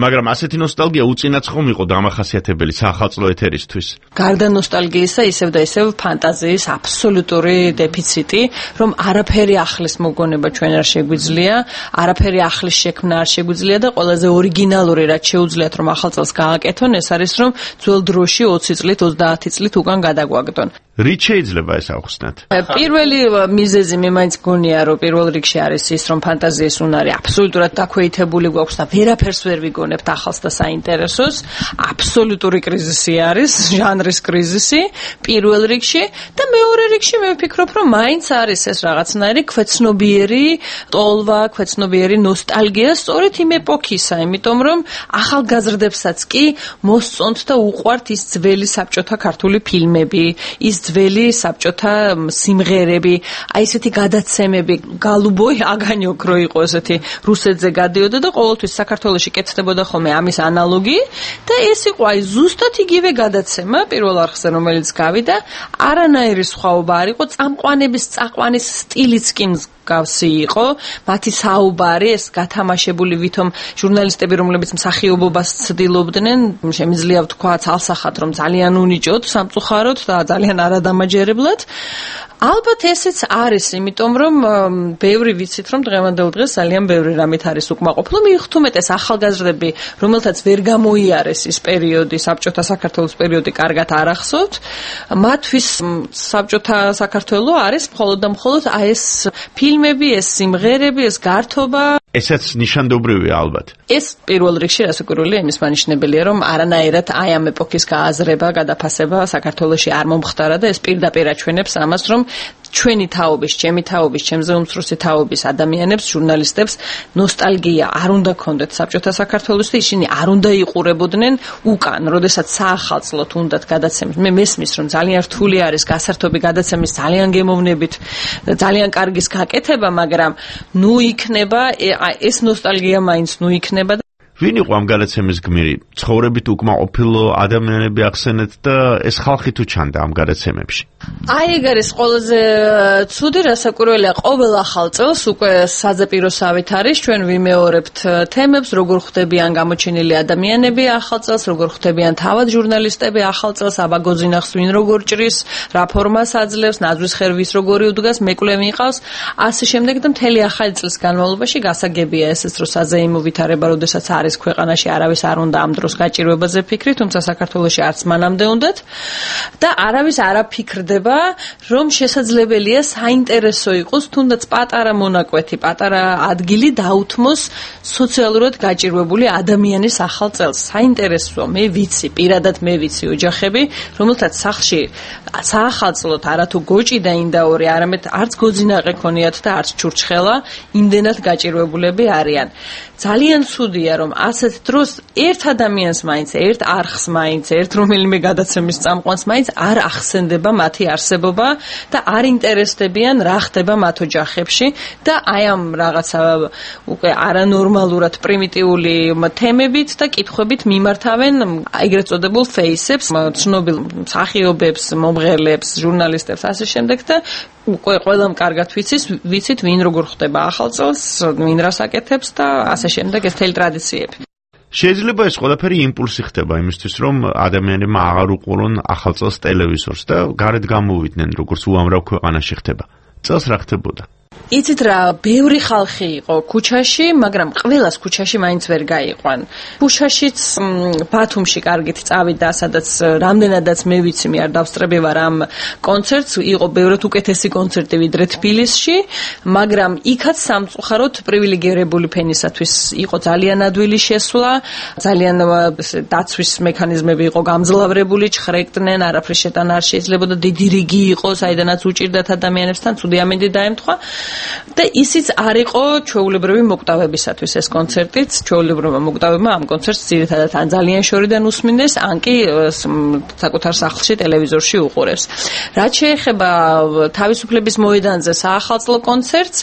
მაგრამ ასეთი ნოსტალგია უწინაც ხომ იყო დამახასიათებელი საახალწლო ეთერისთვის. გარდა ნოსტალგიისა, ისევ და ისევ ფანტაზიის აბსოლუტური დეფიციტი, რომ არაფერი ახლის მოგონება ჩვენ არ შეგვიძლია, არაფერი ახლის შექმნა არ შეგვიძლია და ყველაზე ორიგინალური რაც შეუძლიათ რომ ახალ წელს გააკეთონ, ეს არის რომ ძველ დროში ოცი წლით, ოცდაათი წლით უკან გადაგვაგდონ. რით შეიძლება ეს ავხსნათ? პირველი მიზეზი მე მაინც გონია, რომ პირველ რიგში არის ის, რომ ფანტაზიის უნარი აბსოლუტურად დაქვეითებული გვაქვს და ვერაფერს ვერ ვიგონებთ ახალს და საინტერესოს. აბსოლუტური კრიზისი არის, ჟანრის კრიზისი პირველ რიგში და მეორე რიგში მე ვფიქრობ, რომ მაინც არის ეს რაღაცნაირი ქვეცნობიერი ტოლვა, ქვეცნობიერი ნოსტალგია სწორედ იმ ეპოქისა, იმიტომ რომ ახალგაზრდებსაც კი მოსწონთ და უყვართ ის ძველი საბჭოთა ქართული ფილმები, ის ძველი საბჭოთა სიმღერები, აი ესეთი გადაცემები, გალუბოი აგანიოკ რო იყო ესეთი რუსეთზე გადიოდა და ყოველთვის საქართველოში კეთდებოდა ხოლმე ამის ანალოგი და ეს იყო აი ზუსტად იგივე გადაცემა პირველ არხზე რომელიც გავიდა, არანაირი სხვაობა არ იყო, წამყვანების წაყვანის სტილიც კი გავსი იყო, მათი საუბარი ეს გათამაშებული ვითომ ჟურნალისტები რომლებიც მსახიობობას ცდილობდნენ, შემიძლია ვთქვა ცალსახად რომ ძალიან უნიჭოდ, სამწუხაროდ და ძალიან არადამაჯერებლად. ალბათ ესეც არის, იმიტომ რომ ბევრი ვიცით რომ დღევანდელ დღეს ძალიან ბევრი რამით არის უკმაყოფილო, მიუხედავად ახალგაზრდები, რომელთაც ვერ გამოიარეს ის პერიოდი, საბჭოთა საქართველოს პერიოდი კარგად არ ახსოვთ, მათთვის საბჭოთა საქართველო არის მხოლოდ და მხოლოდ აი ეს ფილმები, ეს სიმღერები, ეს გართობა. ესაც ნიშანდობრივია ალბათ. ეს პირველ რიგში რასაკვირველია იმის მანიშნებელია, რომ არანაირად აი ამ ეპოქის გააზრება, გადაფასება საქართველოში არ მომხდარა და ეს პირდაპირ აჩვენებს ამას, რომ ჩვენი თაობის, ჩემი თაობის, ჩემზე უმცროსი თაობის ადამიანებს, ჟურნალისტებს ნოსტალგია არ უნდა ქონდეთ საბჭოთა საქართველოს და ისინი არ უნდა იყურებოდნენ უკან, როდესაც საახალწლოდ უნდათ გადაცემის. მე მესმის რომ ძალიან რთული არის გასართობი გადაცემის ძალიან გემოვნებით, ძალიან კარგის გაკეთება, მაგრამ ნუ იქნება ეს ნოსტალგია მაინც ნუ იქნება. ვინ იყო ამ გადაცემის გმირი? ცხოვრებით უკმაყოფილო ადამიანები ახსენეთ და ეს ხალხი თუ ჩანდა ამ გადაცემებში? აი ეგ არის ყველაზე ცუდი, რასაკვირველია, ყოველ ახალ წელს უკვე საძაპიროსავით არის, ჩვენ ვიმეორებთ თემებს, როგორ ხვდებიან გამოჩენილი ადამიანები ახალ წელს, როგორ ხვდებიან თავად ჟურნალისტები ახალ წელს, აბა გოძინახს ვინ როგორ ჭრის, რა ფორმას აძლევს, ნაძვის ხერვის როგორი უდგას, მეკლე მიყავს, ასე შემდეგ და მთელი ახალი წლის განმავლობაში გასაგებია ესეც, რომ საზეიმო ვითარება, როდესაც არის ქვეყანაში, არავის არ უნდა ამ დროს გაჭირვებაზე ფიქრი, თუმცა საქართველოში არც მანამდე უნდათ და არავის არ აფიქრდება, რომ შესაძლებელია საინტერესო იყოს თუნდაც პატარა მონაკვეთი, პატარა ადგილი დაუთმოს სოციალურად გაჭირვებული ადამიანის ახალ წელს. საინტერესოა, მე ვიცი, პირადად მე ვიცი ოჯახები, რომელთაც სახლში საახალწლოდ არათუ გოჭი და ინდაური, არამედ არც გოძინაყი ქონიათ და არც ჩურჩხელა, იმდენად გაჭირვებულები არიან. ძალიან ცუდია, რომ ასეთ დროს ერთ ადამიანს მაინც, ერთ არხს მაინც, ერთ რომელიმე გადაცემის წამყვანს მაინც არ ახსენდება მათი არსებობა და არ ინტერესდებიან რა ხდება მათ ოჯახებში და აი ამ რაღაცა უკვე არანორმალურად პრიმიტიული თემებით და კითხვებით მიმართავენ ეგრეთ წოდებულ ფეისებს, ცნობილ მსახიობებს, მომღერლებს, ჟურნალისტებს, ასე შემდეგ და უკვე ყველამ კარგად ვიცის, ვიცით ვინ როგორ ხდება ახალ წელს, ვინ რას აკეთებს და ასე შემდეგ ეს თელი ტრადიციები. შეიძლება ეს ყველაფერი იმპულსი ხდება იმისთვის, რომ ადამიანებმა აღარ უყურონ ახალ წელს ტელევიზორს და გარეთ გამოვიდნენ, როგორც უამრავ ქვეყანაში ხდება. წელს რა ხდებოდა? იცით რა, ბევრი ხალხი იყო ქუჩაში, მაგრამ ყველას ქუჩაში მაინც ვერ გაიყვან. ქუჩაშიც ბათუმში კარგით წავიდა, სადაც რამდენადაც მე ვიცი, მე არ დავსწრები ვარ ამ კონცერტს, იყო ბევრად უკეთესი კონცერტი ვიდრე თბილისში, მაგრამ იქაც სამწუხაროდ პრივილეგირებული ფენისათვის იყო ძალიან ადვილი შესვლა, ძალიან დაცვის მექანიზმები იყო გამძლავრებული, ჩხრეკდნენ, არაფრის შეტანა არ შეიძლებოდა, დიდი რიგი იყო, საიდანაც უჭირდათ ადამიანებსთან, ცუდი ამინდი დაემთხვა. და ისიც არ იყო ჩვეულებრივი მოკვდავებისათვის ეს კონცერტიც, ჩვეულებრივმა მოკვდავებმა ამ კონცერტს ძირითადად ან ძალიან შორიდან უსმინდეს, ან კი საკუთარ სახლში ტელევიზორში უყურებს. რაც შეეხება თავისუფლების მოედანზე საახალწლო კონცერტს,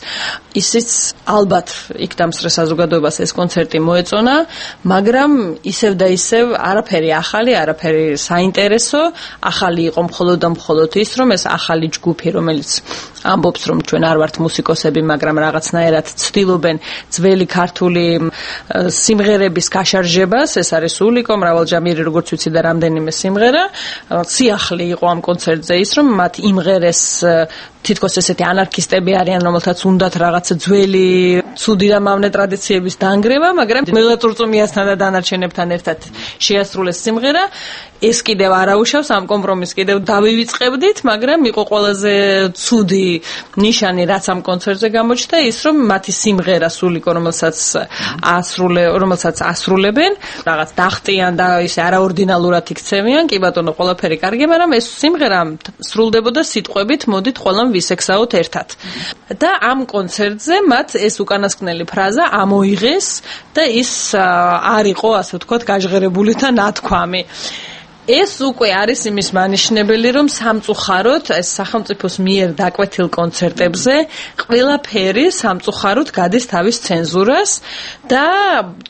ისიც ალბათ იქ დამსწრე საზოგადოებას ეს კონცერტი მოეწონა, მაგრამ ისევ და ისევ არაფერი ახალი, არაფერი საინტერესო, ახალი იყო მხოლოდ და მხოლოდ ის, რომ ეს ახალი ჯგუფი, რომელიც ამბობს, რომ ჩვენ არ ვართ მუსიკოსები, მაგრამ რაღაცნაირად ცდილობენ ძველი ქართული სიმღერების გაშარჟებას, ეს არის სულიკო, მრავალჯამიერი, როგორც ვიცი და რამდენიმე სიმღერა. სიახლე იყო ამ კონცერტზე ის, რომ მათ იმღერეს თითქოს ესეთი ანარქისტები არიან, რომელთაც უნდათ რაღაცა ძველი ცუდი და მავნე ტრადიციების დანგრევა, მაგრამ მელაწურწუმიასთან და დანარჩენებთან ერთად შეასრულეს სიმღერა. ეს კიდევ არაუშავს, ამ კომპრომისს კიდევ დავივიწყებდით, მაგრამ იყო ყველაზე ცუდი ნიშანი, რაც ამ კონცერტზე გამოჩნდა, ის რომ მათი სიმღერა სულიკო, რომელსაც ასრულე, რომელსაც ასრულებენ, რაღაც დახტიან და ისე არაორდინალურად იქცევიან, კი ბატონო, ყველაფერი კარგი, მაგრამ ეს სიმღერა სრულდებოდა სიტყვებით, მოდით ყველამ ვისექსაოთ ერთად. და ამ კონცერტზე მათ ეს უკანასკნელი ფრაზა ამოიღეს და ის არ იყო, ასე ვთქვათ, გაჟღერებული და ნათქვამი. ეს უკვე არის იმის მანიშნებელი, რომ სამწუხაროდ ეს სახელმწიფოს მიერ დაკვეთილ კონცერტებზე ყველაფერი სამწუხაროდ გადის თავის ცენზურას და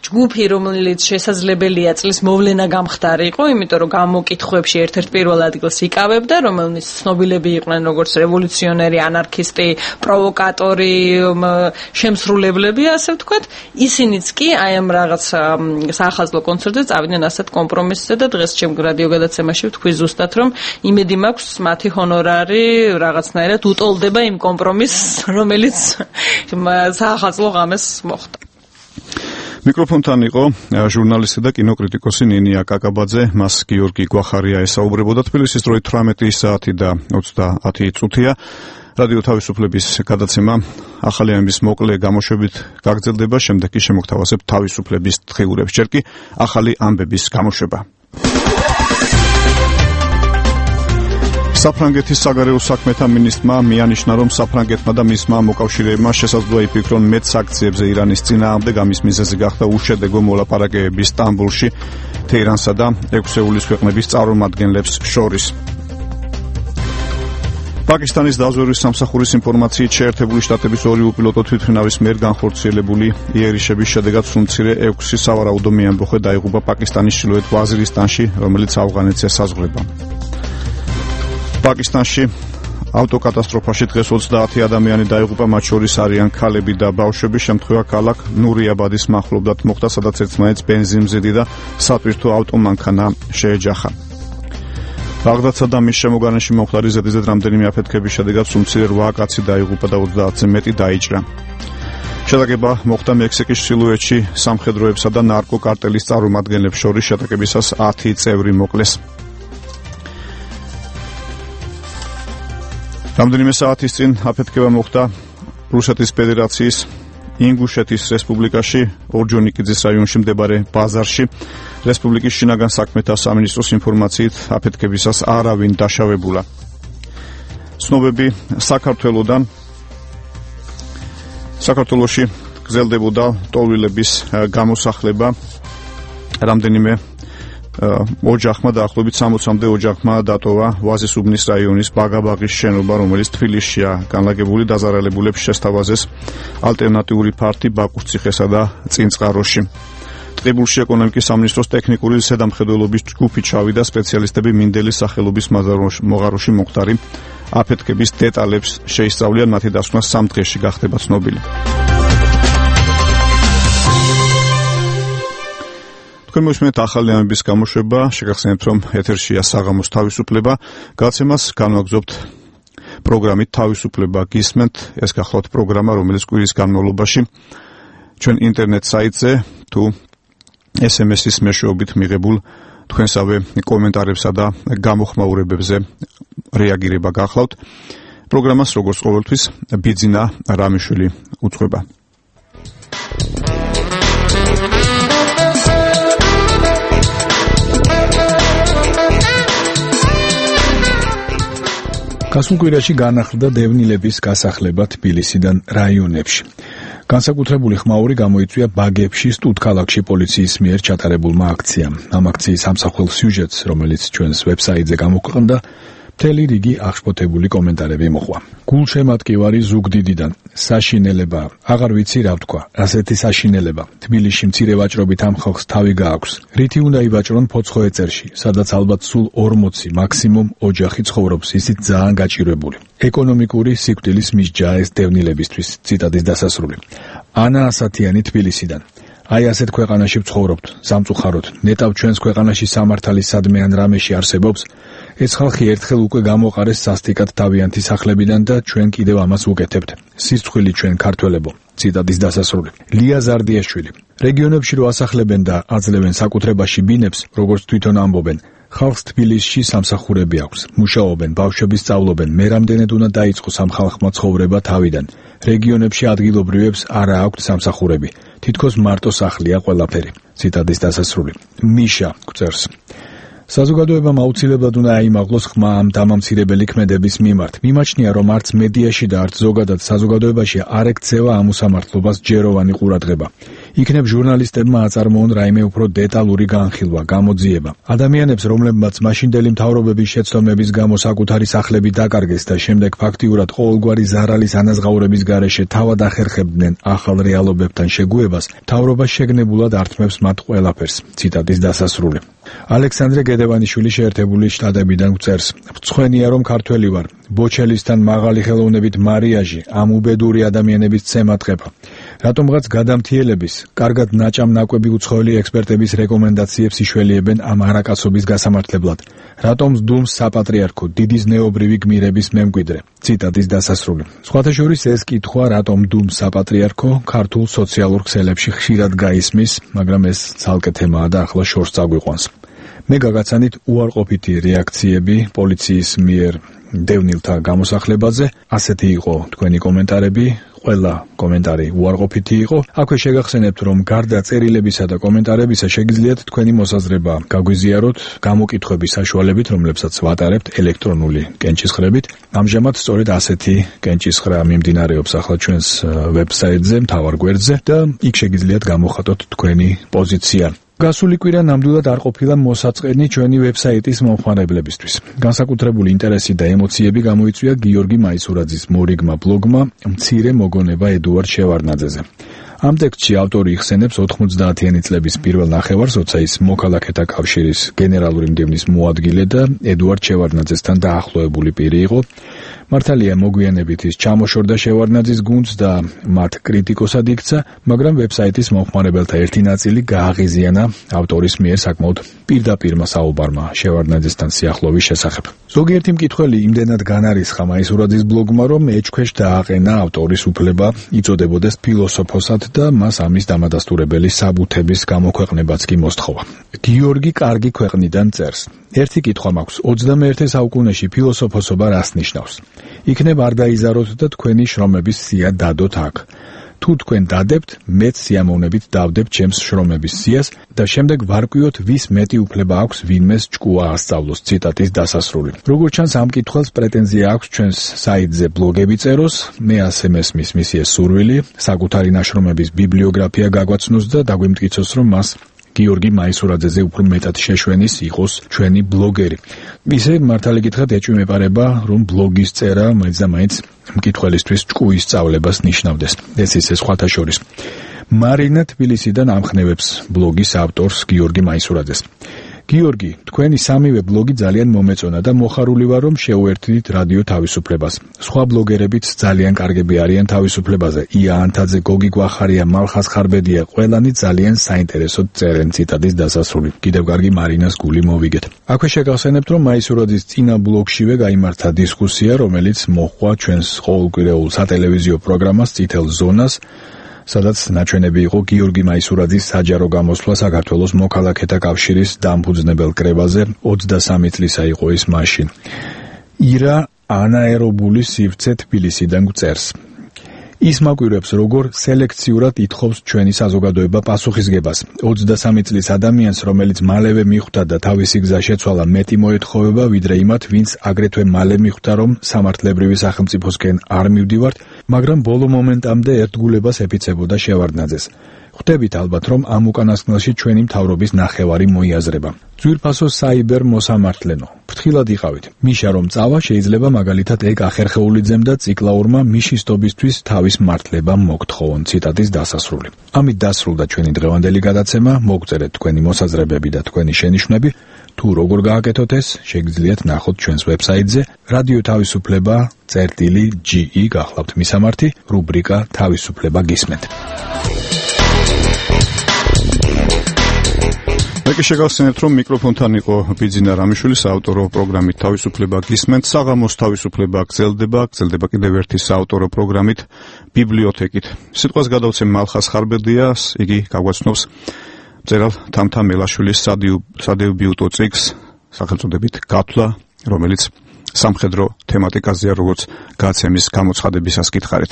ჯგუფი, რომელიც შესაძლებელია წლის მოვლენა გამხდარი იყო, იმიტომ რომ გამოკითხვებში ერთ-ერთ პირველ ადგილს იკავებდა, რომელიც ცნობილები იყვნენ როგორც რევოლუციონერი, ანარქისტი, პროვოკატორი, შემსრულებლები, ასე ვთქვათ, ისინიც კი აი ამ რაღაც საახალწლო კონცერტზე წავიდნენ ასეთ კომპრომისზე და დღეს ჩემ გადაცემაში ვთქვი ზუსტად, რომ იმედი მაქვს მათი ჰონორარი რაღაცნაირად უტოლდება იმ კომპრომისს, რომელიც საახალწლო ღამეს მოხდა. მიკროფონთან იყო ჟურნალისტი და კინოკრიტიკოსი ნინია კაკაბაძე, მას გიორგი გვახარია ესაუბრებოდა. თბილისის დროით თვრამეტი საათი და ოცდაათი წუთია. რადიო თავისუფლების გადაცემა ახალი ამბის მოკლე გამოშვებით გაგრძელდება, შემდეგ კი შემოგთავაზებთ თავისუფლების დღიურებს, ჯერ კი ახალი ამბების გამოშვება. საფრანგეთის საგარეო საქმეთა მინისტრმა მიანიშნა, რომ საფრანგეთმა და მისმა მოკავშირეებმა შესაძლოა იფიქრონ მეტ სანქციებზე ირანის წინააღმდეგ. ამის მიზეზი გახდა უშედეგო მოლაპარაკებები სტამბოლში თეირანსა და ექვსეულის ქვეყნების წარმომადგენლებს შორის. პაკისტანის დაზვერვის სამსახურის ინფორმაციით შეერთებული შტატების ორი უპილოტო თვითმფრინავის მიერ განხორციელებული იერიშების შედეგად სუმცირე ექვსი სავარაუდო მეამბოხე დაიღუპა პაკისტანის ჩრდილოეთ ვაზირისტანში, რომელიც ავღანეთს ესაზღვრება. პაკისტანში ავტოკატასტროფაში დღეს ოცდაათი ადამიანი დაიღუპა, მათ შორის არიან ქალები და ბავშვები. შემთხვევა ქალაქ ნურიაბადის მახლობლად მოხდა, სადაც ერთმანეთს ბენზინმზიდი და სატვირთო ავტომანქანა შეეჯახა. ბაღდადსა და მის შემოგარენში მომხდარი ზედიზედ რამდენიმე აფეთქების შედეგად სუმცირე რვა კაცი დაიღუპა და ოცდაათზე მეტი დაიჭრა. შეტაკება მოხდა მექსიკის ჩრდილოეთში სამხედროებსა და ნარკოკარტელის წარმომადგენლებს შორის. შეტაკებისას ათი წევრი მოკლეს. რამდენიმე საათის წინ აფეთქება მოხდა რუსეთის ფედერაციის ინგუშეთის რესპუბლიკაში, ორჯონიკიძის რაიონში მდებარე ბაზარში. რესპუბლიკის შინაგან საქმეთა სამინისტროს ინფორმაციით აფეთქებისას არავინ დაშავებულა. ცნობები საქართველოდან საქართველოში გრძელდებოდა ტოლვილების გამოსახლება. რამდენიმე ოჯახმა დაახლოებით სამოცამდე ოჯახმა დატოვა ვაზისუბნის რაიონის ბაგაბაღის შენობა, რომელიც თბილისშია განლაგებული. დაზარალებულებს შესთავაზეს ალტერნატიული ფართი ბაკუს ციხესა და წინწყაროში. ტყიბულში ეკონომიკის სამინისტროს ტექნიკური ზედამხედველობის ჯგუფი ჩავიდა. სპეციალისტები მინდელის სახელობის მოღაროში მომხდარი აფეთქების დეტალებს შეისწავლიან. მათი დასკვნა სამ დღეში გახდება ცნობილი. თქვენ მოსმენთ ახალი ამების გამოშვება. შეგახსენებთ, რომ ეთერშია საღამოს თავისუფლება. გაცემას განვაგრძობთ პროგრამით თავისუფლება გისმენთ. ეს გახლავთ პროგრამა, რომელიც კვირის განმავლობაში ჩვენ ინტერნეტ საიტზე თუ ეს ემ ეს-ის მეშვეობით მიღებულ თქვენსავე კომენტარებსა და გამოხმაურებებზე რეაგირება გახლავთ. პროგრამას როგორც ყოველთვის ბიძინა რამიშვილი უძღვება. გასულ კვირაში განახლდა დევნილების გასახლება თბილისიდან რაიონებში. განსაკუთრებული ხმაური გამოიწვია ბაგებში, სტუდქალაქში პოლიციის მიერ ჩატარებულმა აქციამ. ამ აქციის ამსახველ სიუჟეტს, რომელიც ჩვენს ვებსაიტზე გამოქვეყნდა, მთელი რიგი აღშფოთებული კომენტარები მოყვა. გულშემატკივარი ზუგდიდიდან. საშინელება, აღარ ვიცი რა ვთქვა. ასეთი საშინელება. თბილისში მცირე ვაჭრობით ამ ხალხს თავი გააქვს. რითი უნდა ივაჭრონ ფოცხო ეწერში, სადაც ალბათ სულ ორმოცი მაქსიმუმ ოჯახი ცხოვრობს, ისიც ძალიან გაჭირვებული. ეკონომიკური სიკვდილის მისჯა ეს დევნილებისთვის. ციტატის დასასრული. ანა ასათიანი თბილისიდან. აი ასეთ ქვეყანაში ვცხოვრობთ, სამწუხაროდ. ნეტავ ჩვენს ქვეყანაში სამართალი სადმე ან რამეში არსებობს. ეს ხალხი ერთხელ უკვე გამოყარეს სასტიკად თავიანთი სახლებიდან და ჩვენ კიდევ ამას ვუკეთებთ. სისწხვილი ჩვენ ქართველებო. ციტატის დასასრული. ლია ზარდიაშვილი. რეგიონებში რო ასახლებენ და აძლევენ საკუთრებაში ბინებს, როგორც თვითონ ამბობენ, ხალხს თბილისში სამსახურები აქვს. მუშაობენ, ბავშვები სწავლობენ. მე რამდენად უნდა დაიწყოს ამ ხალხმა ცხოვრება თავიდან. რეგიონებში ადგილობრივებს არა აქვთ სამსახურები. თითქოს მარტო სახლია ყველაფერი. ციტატის დასასრული. მიშა გვწერს. საზოგადოებამ აუცილებლად უნდა აიმაღლოს ხმა ამ დამამცირებელი ქმედების მიმართ. მიმაჩნია, რომ არც მედიაში და არც ზოგადად საზოგადოებაში არ ექცევა ამ უსამართლობას ჯეროვანი ყურადღება. იქნებ ჟურნალისტებმა აწარმოონ რაიმე უფრო დეტალური განხილვა, გამოძიება. ადამიანებს, რომლებმაც მაშინდელი მთავრობების შეცდომების გამო საკუთარი სახლები დაკარგეს და შემდეგ ფაქტიურად ყოველგვარი ზარალის ანაზღაურების გარეშე თავად ახერხებდნენ ახალ რეალობებთან შეგუებას, მთავრობა შეგნებულად ართმევს მათ ყველაფერს. ციტატის დასასრული. ალექსანდრე გედევანიშვილი შეერთებული შტატებიდან გვწერს. მწხვენია, რომ ქართველი ვარ. ბოჩელისთან მაღალი ხელოვნებით მარიაჟი, ამ უბედური ადამიანების ცემატყება. რატომღაც გადამთიელების, კარგად ნაჭამ ნაკვები უცხოელი ექსპერტების რეკომენდაციებს იშველიებენ ამ არაკაცობის გასამართლებლად. რატომ სდუმს საპატრიარქო, დიდი ზნეობრივი გმირების მემკვიდრე. ციტატის დასასრული. სხვათა შორის ეს კითხვა, რატომ სდუმს საპატრიარქო, ქართულ სოციალურ ქსელებში ხშირად გაისმის, მაგრამ ეს ცალკე თემაა და ახლა შორს წაგვიყვანს. მე გაგაცანით უარყოფითი რეაქციები პოლიციის მიერ დევნილთა გამოსახლებაზე. ასეთი იყო თქვენი კომენტარები. ყველა კომენტარი უარყოფითი იყო. აქვე შეგახსენებთ, რომ გარდა წერილებისა და კომენტარებისა შეგიძლიათ თქვენი მოსაზრება გაგვიზიაროთ გამოკითხვების საშუალებით, რომლებსაც ვატარებთ ელექტრონული კენჭისხრებით. ამჟამად სწორედ ასეთი კენჭისხრა მიმდინარეობს ახლა ჩვენს ვებსაიტზე, მთავარ გვერდზე და იქ შეგიძლიათ გამოხატოთ თქვენი პოზიცია. გასული კვირა ნამდვილად არ ყოფილა მოსაწყენი ჩვენი ვებსაიტის მომხმარებლებისთვის. განსაკუთრებული ინტერესი და ემოციები გამოიწვია გიორგი მაისურაძის მორიგმა ბლოგმა მცირე მოგონება ედუარდ შევარდნაძეზე. ამ ტექსტში ავტორი იხსენებს ოთხმოცდაათიანი წლების პირველ ნახევარს, როცა ის მოქალაქეთა კავშირის გენერალური მდივნის მოადგილე და ედუარდ შევარდნაძესთან დაახლოებული პირი იყო. მართალია მოგვიანებით ის ჩამოშორდა შევარდნაძის გუნდს და მათ კრიტიკოსად იქცა, მაგრამ ვებსაიტის მომხმარებელთა ერთი ნაწილი გააღიზიანა ავტორის მიერ საკმაოდ პირდაპირმა საუბარმა შევარდნაძესთან სიახლოვის შესახებ. ზოგიერთი მკითხველი იმდენად განარისხა მაისურაძის ბლოგმა, რომ ეჭქვეშ დააყენა ავტორის უფლება იწოდებოდეს ფილოსოფოსად და მას ამის დამადასტურებელი საბუთების გამოქვეყნებაც კი მოსთხოვა. გიორგი კარგი ქვეყნიდან წერს. ერთი კითხვა მაქვს, ოცდამეერთე საუკუნეში ფილოსოფოსობა რას ნიშნავს? იქნებ არ დაიზაროთ და თქვენი შრომების სია დადოთ აქ. თუ თქვენ დადებთ, მეც სიამოვნებით დავდებ ჩემს შრომების სიას და შემდეგ ვარკვიოთ, ვის მეტი უფლება აქვს ვინმეს ჭკუა ასწავლოს. ციტატის დასასრული. როგორც ჩანს, ამ კითხვას პრეტენზია აქვს ჩვენს საიტზე ბლოგები წეროს, მე ასე მესმის მისი ეს სურვილი, საკუთარი ნაშრომების ბიბლიოგრაფია გაგვაცნოს და დაგვიმტკიცოს, რომ მას გიორგი მაისურაძეზე უფრო მეტად შეშვენის იყოს ჩვენი ბლოგერი. ისე მართალი კითხვით ეჭვი მეპარება, რომ ბლოგის წერა მაინც და მაინც მკითხველისთვის ჭკუის სწავლებას ნიშნავდეს. ეს ისე სხვათა შორის. მარინა თბილისიდან ამხნევებს ბლოგის ავტორს გიორგი მაისურაძეს. გიორგი, თქვენი სამივე ბლოგი ძალიან მომეწონა და მოხარული ვარ, რომ შეუერთდით რადიო თავისუფლებას. სხვა ბლოგერებიც ძალიან კარგები არიან თავისუფლებაზე. ია ანთაძე, გოგი გვახარია, მალხას ხარბედია, ყველანი ძალიან საინტერესოდ წერენ. ციტატის დასასრული. კიდევ კარგი მარინას გული მოვიგეთ. აქვე შეგახსენებთ, რომ მაისურაძის წინა ბლოგშივე გაიმართა დისკუსია, რომელიც მოჰყვა ჩვენს ყოველკვირეულ სატელევიზიო პროგრამას წითელ ზონას, სადაც ნაჩვენები იყო გიორგი მაისურაძის საჯარო გამოსვლა საქართველოს მოქალაქეთა კავშირის დამფუძნებელ კრებაზე. ოცდასამი წლისა იყო ის მაშინ. ირა ანაერობული სივრცე თბილისიდან გვწერს. ის მაკვირვებს, როგორ სელექციურად ითხოვს ჩვენი საზოგადოება პასუხისგებას. ოცდასამი წლის ადამიანს, რომელიც მალევე მიხვდა და თავისი გზა შეცვალა, მეტი მოეთხოვება, ვიდრე იმათ, ვინც აგრეთვე მალე მიხვდა, რომ სამართლებრივი სახელმწიფოსკენ არ მივდივართ, მაგრამ ბოლო მომენტამდე ერთგულებას ეფიცებოდა შევარდნაძეს. ხვდებით ალბათ, რომ ამ უკანასკნელში ჩვენი მთავრობის ნახევარი მოიაზრება. ძვირფასო საიბერ მოსამართლენო. ფრთხილად იყავით. მიშა რომ წავა, შეიძლება მაგალითად ეგ ახერხეულიძემ და ციკლაურმა მიშისტობისთვის თავის მართლება მოგთხოვონ. ციტატის დასასრული. ამით დასრულდა ჩვენი დღევანდელი გადაცემა. მოგწერეთ თქვენი მოსაზრებები და თქვენი შენიშვნები. თუ როგორ გააკეთოთ ეს, შეგიძლიათ ნახოთ ჩვენს ვებსაიტზე რადიო თავისუფლება წერტილი ჯი ი გახლავთ მისამართი, რუბრიკა თავისუფლება გისმენთ. მე შეგახსენებთ, რომ მიკროფონთან იყო ბიძინა რამიშვილი, საავტორო პროგრამით თავისუფლება გისმენთ. საღამოს თავისუფლება გრძელდება, გრძელდება კიდევ ერთი საავტორო პროგრამით ბიბლიოთეკით. სიტყვას გადავცემ მალხას ხარბედიას, იგი გაგვაცნობს მწერალ თამთა მელაშვილის სადიუბიუტო წიგნს სახელწოდებით გათვლა, რომელიც სამხედრო თემატიკაზეა, როგორც გაცემის გამოცხადებისას გითხარით.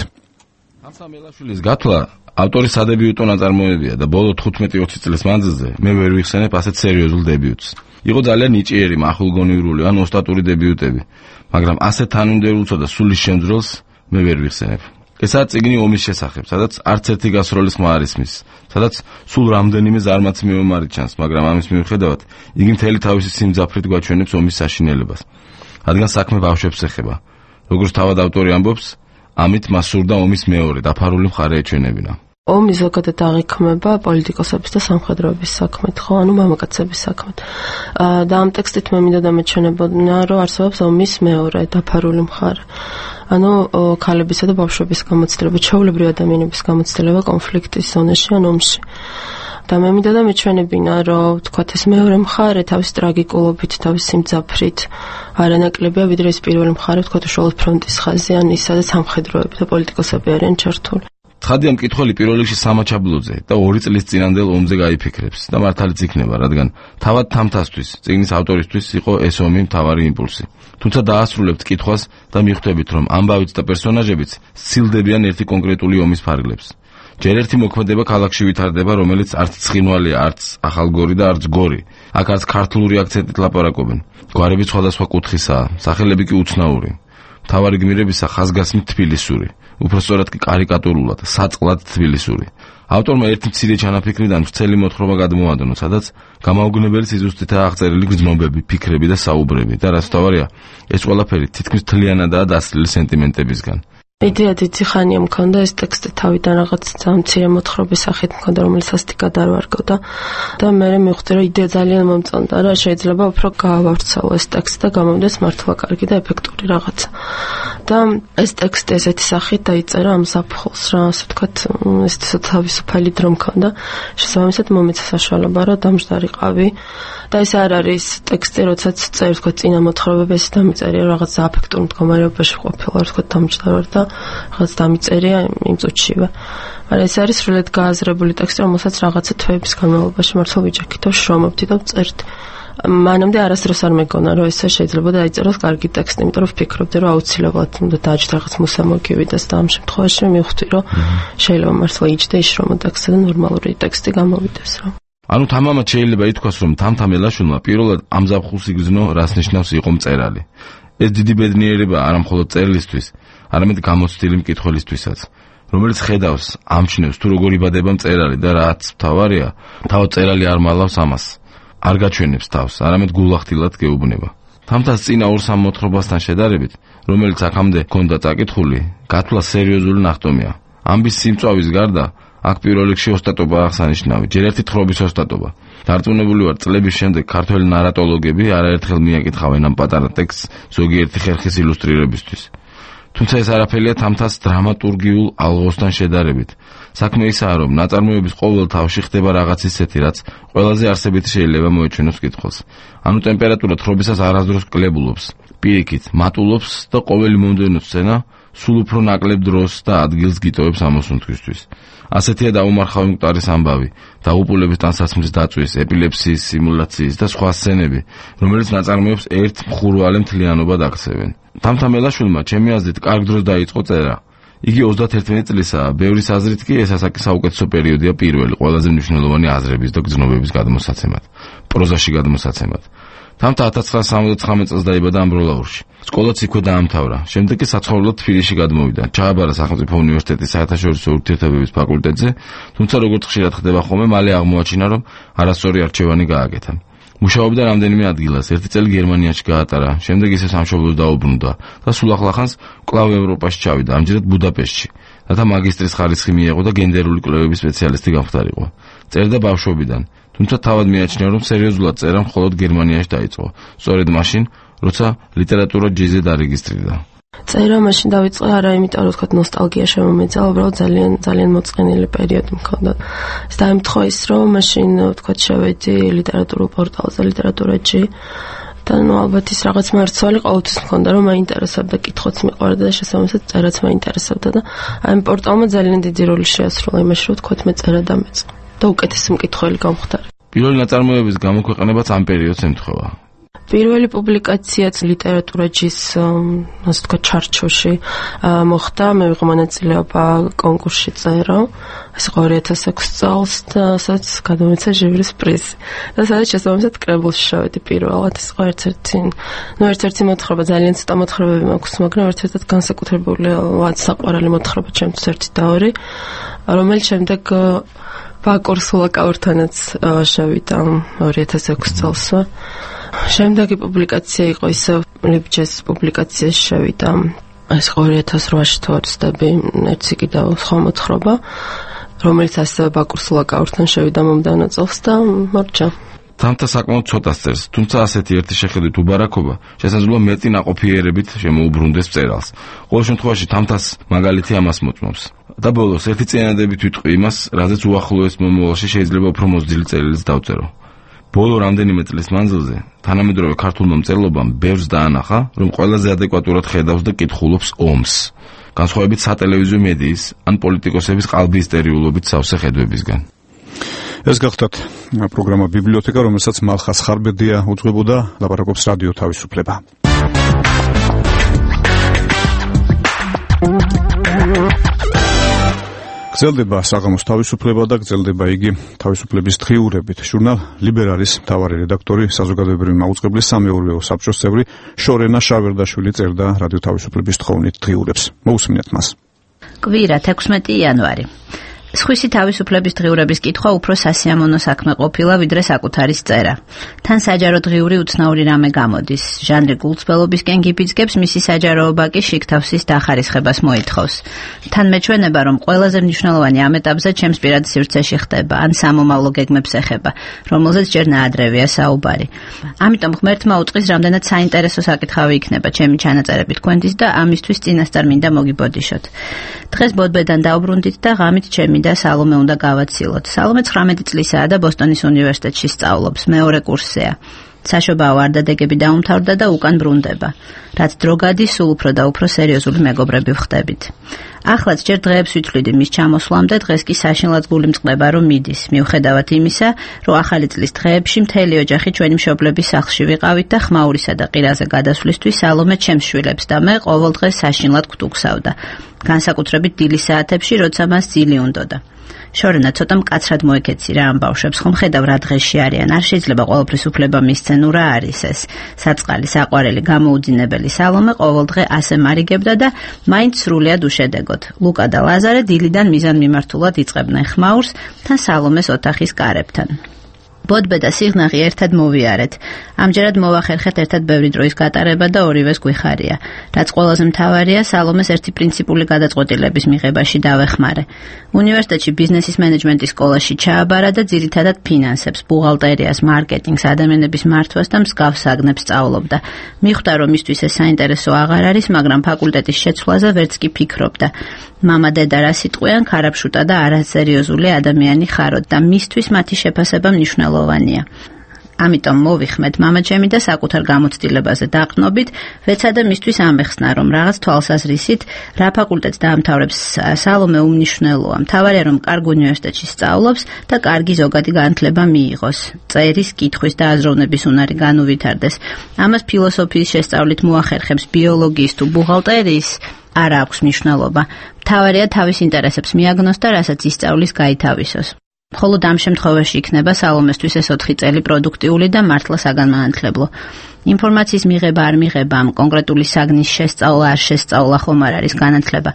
თამთა მელაშვილის გათვლა ავტორის სადებიუტო ნაწარმოებია და ბოლო თხუთმეტი ოცი წლის მანძილზე მე ვერ ვიხსენებ ასეთ სერიოზულ დებიუტს. იყო ძალიან ნიჭიერი, მახვილგონივრული ან ოსტატური დებიუტები, მაგრამ ასეთ თანმიმდევრულსა და სულის შემძრელს მე ვერ ვიხსენებ. ესაა წიგნი ომის შესახებ, სადაც არც ერთი გასროლის ხმა არ ისმის, სადაც სულ რამდენიმე ზარმაცი მეომარი ჩანს, მაგრამ ამის მიუხედავად იგი მთელი თავისი სიმძაფრით გვაჩვენებს ომის საშინელებას. რადგან საქმე ბავშვებს ეხება. როგორც თავად ავტორი ამბობს, ამით მას სურდა ომის მეორე დაფარული მხარე ეჩვენებინა. ომი ზოგადად აღიქმება პოლიტიკოსების და სამხედროების საქმეთ, ხო, ანუ მამაკაცების საქმეთ. და ამ ტექსტით მე მინდა დამეჩვენებოდნენ, რომ არსებობს ომის მეორე დაფარული მხარე. ანუ ქალებისა და ბავშვების გამოცდილება, ჩვეულებრივი ადამიანების გამოცდილება კონფლიქტის ზონაში ან ომში. და მე მინდა დამეჩვენებინა, რომ თქვათ ეს მეორე მხარე თავის ტრაგიკულობით, თავის სიმძაფრით არანაკლებია, ვიდრე ეს პირველი მხარე, თქვათ უშუალოდ ფრონტის ხაზი ან ის, სადაც სამხედროები და პოლიტიკოსები არიან ჩართული. ცხადია მკითხველი პირველ რიგში სამაჩაბლოზე და ორი წლის წინანდელ ომზე გაიფიქრებს და მართალიც იქნება, რადგან თავად თამთასთვის, წიგნის ავტორისთვის იყო ეს ომი მთავარი იმპულსი. თუმცა დაასრულებთ კითხვას და მიხვდებით, რომ ამბავიც და პერსონაჟებიც სცილდებიან ერთი კონკრეტული ომის ფარგლებს. ჯერ ერთი მოქმედება ქალაქში ვითარდება, რომელიც არც ცხინვალია, არც ახალგორი და არც გორი. აქ არც ქართლური აქცენტით ლაპარაკობენ. გვარები სხვადასხვა კუთხისაა, სახელები კი უცნაური. მთავარი გმირებისა ხაზგასმით თბილისური, უფრო სწორად კი კარიკატურულად, საწყლად თბილისური. ავტორმა ერთი მცირე ჩანაფიქრიდან ვრცელი მოთხრობა გადმოადნო, სადაც გამაოგნებელი სიზუსტითაა აღწერილი გრძნობები, ფიქრები და საუბრები და რაც თავარია, ეს ყველაფერი თითქმის თლიანადაა დასრილი სენტიმენტებისგან. იდეა დიდი ხანია მქონდა ეს ტექსტი თავიდან რაღაც მცირე მოთხრობის სახით მქონდა, რომელიც ასეთი გადარვარგავდა და მე მივხვდი რომ იდეა ძალიან მომწონდა რა, შეიძლება უფრო გაავარცავო ეს ტექსტი და გამომდეს მართლა კარგი და ეფექტური რაღაცა. და ეს ტექსტი ესეთი სახით დაიწერა ამ საფხულს რა, ასე ვთქვათ, ეს თავისუფალი დრო მქონდა. შესაბამისად მომეცა საშუალება რომ დამჯდარიყავი და ეს არ არის ტექსტი, როდესაც წერ ვთქვათ წინა მოთხრობები ეს დამიწერია რაღაც აფექტურ მდგომარეობაში ყოფილა, ვთქვათ დამჯდარ და რაღაც დამიწერია იმ წუთშივე. მაგრამ ეს არის სრულიად გააზრებული ტექსტი, რომელსაც რაღაცა თვეების განმავლობაში მართლა ვიჯექით და შრომობდი და ვწერდი. მანამდე არასდროს არ მეგონა რომ ესე შეიძლება დაიწეროს კარგი ტექსტი, იმიტომ რომ ვფიქრობდი რომ აუცილებლად უნდა დააჭდა რაღაც მუსა მოგივიდეს და ამ შემთხვევაში მივხვდი რომ შეიძლება მართლა იჯდა იშრომო ტექსტი და ნორმალური ტექსტი გამოვიდეს რა. ანუ თამამად შეიძლება ითქვას რომ თამთამელაშვილმა პირველად ამ ზაფხულს იგრძნო რას ნიშნავს იყო მწერალი. ეს დიდი ბედნიერება არა მხოლოდ წერილისთვის, არამედ გამოცდილი მკითხველისთვისაც, რომელიც ხედავს, ამჩნევს თუ როგორ იბადება მწერალი და რაც თავარია, თავად მწერალი არ მალავს ამას. არ გაჩვენებს თავს, არამედ გულახდილად გეუბნება. თამთას წინა ორ სამ მოთხრობასთან შედარებით, რომელიც აქამდე ჰქონდა წაკითხული, გათვლა სერიოზული ნახტომია. ამბის სიმწვავის გარდა აქ პირველ რიგში ოსტატობა აღსანიშნავი, ჯერ ერთი თხრობის ოსტატობა. დარწმუნებული ვარ, წლების შემდეგ ქართველი ნარატოლოგები არაერთხელ მიაკითხავენ ამ პატარა ტექსტს ზოგიერთი ხერხის ილუსტრირებისთვის. თუმცა ეს არაფერია თამთას დრამატურგიულ ალღოსთან შედარებით. საქმე ისაა, რომ ნაწარმოების ყოველ თავში ხდება რაღაც ისეთი, რაც ყველაზე არსებითი შეიძლება მოეჩვენოს მკითხველს. ანუ ტემპერატურა თხრობისას არასდროს კლებულობს, პირიქით მატულობს და ყოველი მომდევნო სცენა სულ უფრო ნაკლებ დროს და ადგილს გიტოვებს ამოსუნთქვისთვის. ასეთია დაუმარხავი მკვდარის ამბავი, დაღუპულების ტანსაცმლის დაწვის, ეპილეფსიის სიმულაციის და სხვა სცენები, რომელიც ნაწარმოებს ერთ მხურვალე მთლიანობად აქცევენ. თამთამელაშვილმა ჩემი აზრით კარგ დროს დაიწყო წერა. იგი ოცდაათერთმეტი წლისაა, ბევრის აზრით კი ეს ასაკის საუკეთესო პერიოდია პირველი ყველაზე მნიშვნელოვანი აზრების და გრძნობების გადმოსაცემად, პროზაში გადმოსაცემად. თამთა ათას ცხრაასი სამოცდათხრამეტი წელს დაიბადა ამბროლაურში. სკოლაც იქვე დაამთავრა. შემდეგ კი საცხოვრებლად თბილისში გადმოვიდა. ჩააბარა სახელმწიფო უნივერსიტეტის საერთაშორისო ურთიერთობების ფაკულტეტზე, თუმცა როგორც ხშირად ხდება ხოლმე, მალე აღმოაჩინა, რომ არასწორი არჩევანი გააკეთა. მუშაობდა რამდენიმე ადგილას, ერთი წელი გერმანიაში გაატარა, შემდეგ ისე სამშობლოს დაუბრუნდა და სულ ახლახანს კვლავ ევროპაში ჩავიდა, ამჯერად ბუდაპეშტში. რათა მაგისტრის ხარისხი მიეღო და გენდერული კვლევების სპეციალისტი გამხდარიყო. წერდა ბავშვობიდან, თუმცა თავად მიაჩნია, რომ სერიოზულად წერა მხოლოდ გერმანიაში დაიწყო, სწორედ მაშინ, როცა ლიტერატურა ჯიზე დარეგისტრირდა. წერა მაშინ დავიწყე არა იმიტომ რომ თქვა ნოსტალგია შემომეძა, უბრალოდ ძალიან ძალიან მოწყენილი პერიოდი მქონდა. ეს დაემთხვა ის რომ მაშინ თქვა შევედი ლიტერატურულ პორტალზე ლიტერატურაში და ნუ ალბათ ის რაღაც მერცვალი ყოველთვის მქონდა რომ მაინტერესებდა, კითხვაც მიყვარდა და შესაბამისად წერაც მაინტერესებდა და აი ამ პორტალმა ძალიან დიდი როლი შეასრულა იმაში რომ თქვა მე წერა დამეწყო და უკეთესი მკითხველი გამხდარი. პირველი ნაწარმოების გამოქვეყნებაც ამ პერიოდს ემთხვევა. პირველი პუბლიკაციაც ლიტერატურაჯის ასე თქვა ჩარჩოში მოხდა, მე ვიყო მონაწილეობა კონკურსში წერა, ეს ორი ათას ექვსი წელს და სადაც გადამეცა ჟივრის პრიზი. და სადაც შესაბამისად კრებულში შევედი პირველად, ეს იყო ერთ-ერთი, ნუ ერთ-ერთი მოთხრობა, ძალიან ცოტა მოთხრობები მაქვს, მაგრამ ერთ-ერთად განსაკუთრებული საყვარელი მოთხრობა ჩემთვის ერთი და ორი, რომელიც შემდეგ ბაკურ სულაკაურთანაც შევიდა ორი ათას ექვსი წელს. შემდეგი პუბლიკაცია იყო ისე ლიბჯეს პუბლიკაციაში შევიდა ეს ორი ათას რვაში თუ ვარცდები ერთი კიდევ სხვა მოთხრობა, რომელიც ასევე ბაკურ სულაკაურთან შევიდა მომდევნო წელს და მორჩა. თამთა საკმაოდ ცოტას წერს, თუმცა ასეთი ერთი შეხედვით უბარაქობა შესაძლოა მეტი ნაყოფიერებით შემოუბრუნდეს მწერალს. ყოველ შემთხვევაში თამთას მაგალითი ამას მოწმობს. და ბოლოს ერთი წინადადებით ვიტყვი იმას, რაზეც უახლოეს მომავალში შეიძლება უფრო მოზრდილი წერილიც დავწერო. ბოლო რამდენიმე წლის მანძილზე თანამედროვე ქართულმა მწერლობამ ბევრს დაანახა, რომ ყველაზე ადეკვატურად ხედავს და კითხულობს ომს, განსხვავებით სატელევიზიო მედიის ან პოლიტიკოსების ყალბი ისტორიულობით სავსე ხედვებისგან. ეს გახლავთ პროგრამა ბიბლიოთეკა, რომელსაც მალხას ხარბედია უძღვებოდა, ლაპარაკობს რადიო თავისუფლება. გრძელდება საღამოს თავისუფლება და გრძელდება იგი თავისუფლების დღიურებით. ჟურნალ ლიბერალის მთავარი რედაქტორი, საზოგადოებრივი მაუწყებლის სამეურვეო საბჭოს წევრი შორენა შავერდაშვილი წერდა რადიო თავისუფლების თხოვნით დღიურებს. მოусმინეთ მას. კვირა თექვსმეტი იანვარი. სხვისი თავისუფლების დღიურების კითხვა უფრო სასიამოვნო საქმე ყოფილა, ვიდრე საკუთარის წერა. თან საჯარო დღიური უცნაური რამე გამოდის. ჟანრი გულწრფელობისკენ გიფიძგებს, მისი საჯაროობა კი შიგთავსის დახარისხებას მოითხოვს. თან მეჩვენება, რომ ყველაზე მნიშვნელოვანი ამ ეტაპზე ჩემს პირად სივრცეში ხდება, ან სამომავლო გეგმებს ეხება, რომელზეც ჯერ ნაადრევია საუბარი. ამიტომ ღმერთმა უწყის, რამდენად საინტერესო საკითხავი იქნება ჩემი ჩანაწერები თქვენთვის და ამისთვის წინასწარ მინდა მოგიბოდიშოთ. დღეს ბოდბედან დავბრუნდით და ღამით ჩემი და სალომე უნდა გავაცილოთ. სალომე ცხრამეტი წლისაა და ბოსტონის უნივერსიტეტში სწავლობს, მეორე კურსია. საშობაო ვარდადეგები დაუმთავრდა და უკან ბრუნდება. რაც დრო გადის, სულ უფრო და უფრო სერიოზული მეგობრები ვხდებით. ახლაც ჯერ დღეებს ვითვლიდი მის ჩამოსვლამდე, დღეს კი საშინლად გული მწყდება, რომ მიდის. მიუხედავად იმისა, რომ ახალი წლის დღეებში მთელი ოჯახი ჩვენი მშობლების სახლში ვიყავით და ხმაურისა და ყირაზე გადასვლისთვის სალომე ჩემს შვილებს და მე ყოველ დღეს საშინლად გვტუქსავდა. განსაკუთრებით დილის საათებში, როცა მას ძილი უნდოდა. შორენა ცოტა მკაცრად მოეკეცი რა ამ ბავშვებს, ხომ ხედავ რა დღეში არიან, არ შეიძლება ყოველთვის უფლება მისცენ, რა არის ეს. საწყალი, საყვარელი, გამოუძინებელი სალომე ყოველ დღე ასე მარიგებდა და მაინც სრულიად უშედეგოდ. ლუკა და ლაზარე დილიდან მიზან მიმართულად იწყებდნენ ხმაურს თან სალომეს ოთახის კარებთან. ბოდბე და სიღნაღი ერთად მოვიარეთ. ამჯერად მოვახერხეთ ერთად ბევრი დროის გატარება და ორივეს გვიხარია. რაც ყველაზე მთავარია, სალომეს ერთი პრინციპული გადაწყვეტილების მიღებაში დავეხმარე. უნივერსიტეტში ბიზნესის მენეჯმენტის სკოლაში ჩააბარა და ძირითადად ფინანსებს, ბუღალტერიას, მარკეტინგს, ადამიანების მართვას და მსგავს საგნებს სწავლობდა. მიხვდა, რომ მისთვის ეს საინტერესო აღარ არის, მაგრამ ფაკულტეტის შეცვლაზე ვერც კი ფიქრობდა. მამა დედა რა სიტყვიან, ქარაფშუტა და არასერიოზული ადამიანი ხაროთ და მისთვის მათი შეფასება მნიშვნელოვანია. ამიტომ მოვიხმეთ მამაჩემი და საკუთარ გამოცდილებაზე დაყნობით, ვეცადე მისთვის ამეხსნა, რომ რაღაც თვალსაზრისით რა ფაკულტეტს დაამთავრებს სალომე უმნიშვნელოა. მთავარია, რომ კარგ უნივერსიტეტში სწავლობს და კარგი ზოგადი განათლება მიიღოს. წერის, კითხვის და აზროვნების უნარი განუვითარდეს. ამას ფილოსოფიის შესწავლით მოახერხებს, ბიოლოგიის თუ ბუღალტერიის არ აქვს მნიშვნელობა. მთავარია თავის ინტერესებს მიაგნოს და რასაც ისწავლის გაითავისოს. მხოლოდ ამ შემთხვევაში იქნება სალომესთვის ეს ოთხი წელი პროდუქტიული და მართლა საგანმანათლებლო. ინფორმაციის მიღება არ მიღება, ამ კონკრეტული საგნის შესწავლა არ შესწავლა ხომ არ არის განათლება.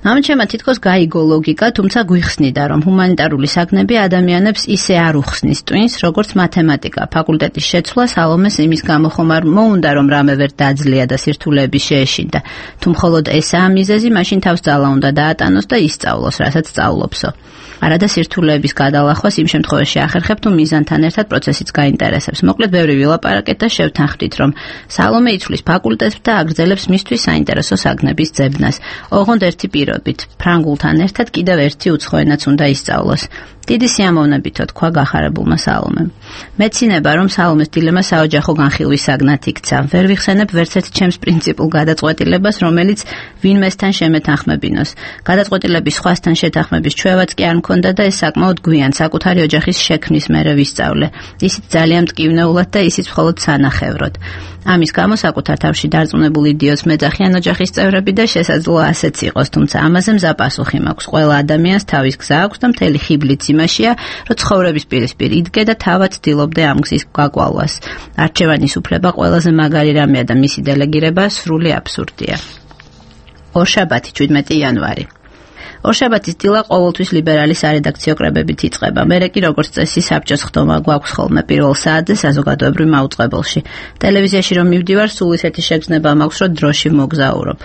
მამაჩემმა თითქოს გაიგო ლოგიკა, თუმცა გვიხსნიდა, რომ ჰუმანიტარული საგნები ადამიანებს ისე არ უხსნის ტვინს, როგორც მათემატიკა. ფაკულტეტის შეცვლა სალომეს იმის გამო ხომ არ მოუნდა, რომ რამე ვერ დაძლია და სირთულეები შეეშინდა. თუ მხოლოდ ესაა მიზეზი, მაშინ თავს ძალა უნდა დაატანოს და ისწავლოს, რასაც სწავლობსო. არადა სირთულეების გადალახვას იმ შემთხვევაში ახერხებ, თუ მიზანთან ერთად პროცესიც გაინტერესებს. მოკლედ ბევრი ვილაპარაკეთ და შევთანხმდით, რომ სალომე იცვლის ფაკულტეტს და აგრძელებს მისთვის საინტერესო საგნების ძებნას. ოღონდ ერთი პირობით, ფრანგულთან ერთად კიდევ ერთი უცხო ენაც უნდა ისწავლოს. დიდი სიამოვნებითო თქვა გახარებულმა სალომემ. მეცინება, რომ სალომეს დილემა საოჯახო განხილვის საგნად იქცა. ვერ ვიხსენებ ვერც ერთ ჩემს პრინციპულ გადაწყვეტილებას, რომელიც ვინმესთან შემეთანხმებინოს. გადაწყვეტილების სხვასთან შეთანხმების ჩვევაც კი არ მქონდა და ეს საკმაოდ გვიან საკუთარი ოჯახის შექმნის მერე ვისწავლე. ისიც ძალიან მტკივნეულად და ისიც მხოლოდ სანახევროდ. ამის გამო საკუთარ თავში დარწმუნებული იდიოტს მეძახიან ოჯახის წევრები და შესაძლოა ასეც იყოს, თუმცა ამაზე მზა პასუხი მაქვს. ყველა ადამიანს თავის გზა აქვს და მთელი ხიბლიც იმაშია, რომ ცხოვრების პირისპირ იდგე და თავად ცდილობდე ამ გზის გაკვალვას. არჩევანის უფლება ყველაზე მაგარი რამეა და მისი დელეგირება სრული აბსურდია. ორშაბათი, შვიდმეტი იანვარი. ორშაბათის დილა ყოველთვის ლიბერალი სარედაქციო კრებებით იწყება. მერე კი როგორც წესი საბჭოს ხდომა გვაქვს ხოლმე პირველ საათზე საზოგადოებრივ მაუწყებელში. ტელევიზიაში რომ მივდივარ, სულ ისეთი შეგრძნება მაქვს, რომ დროში მოგზაურობ.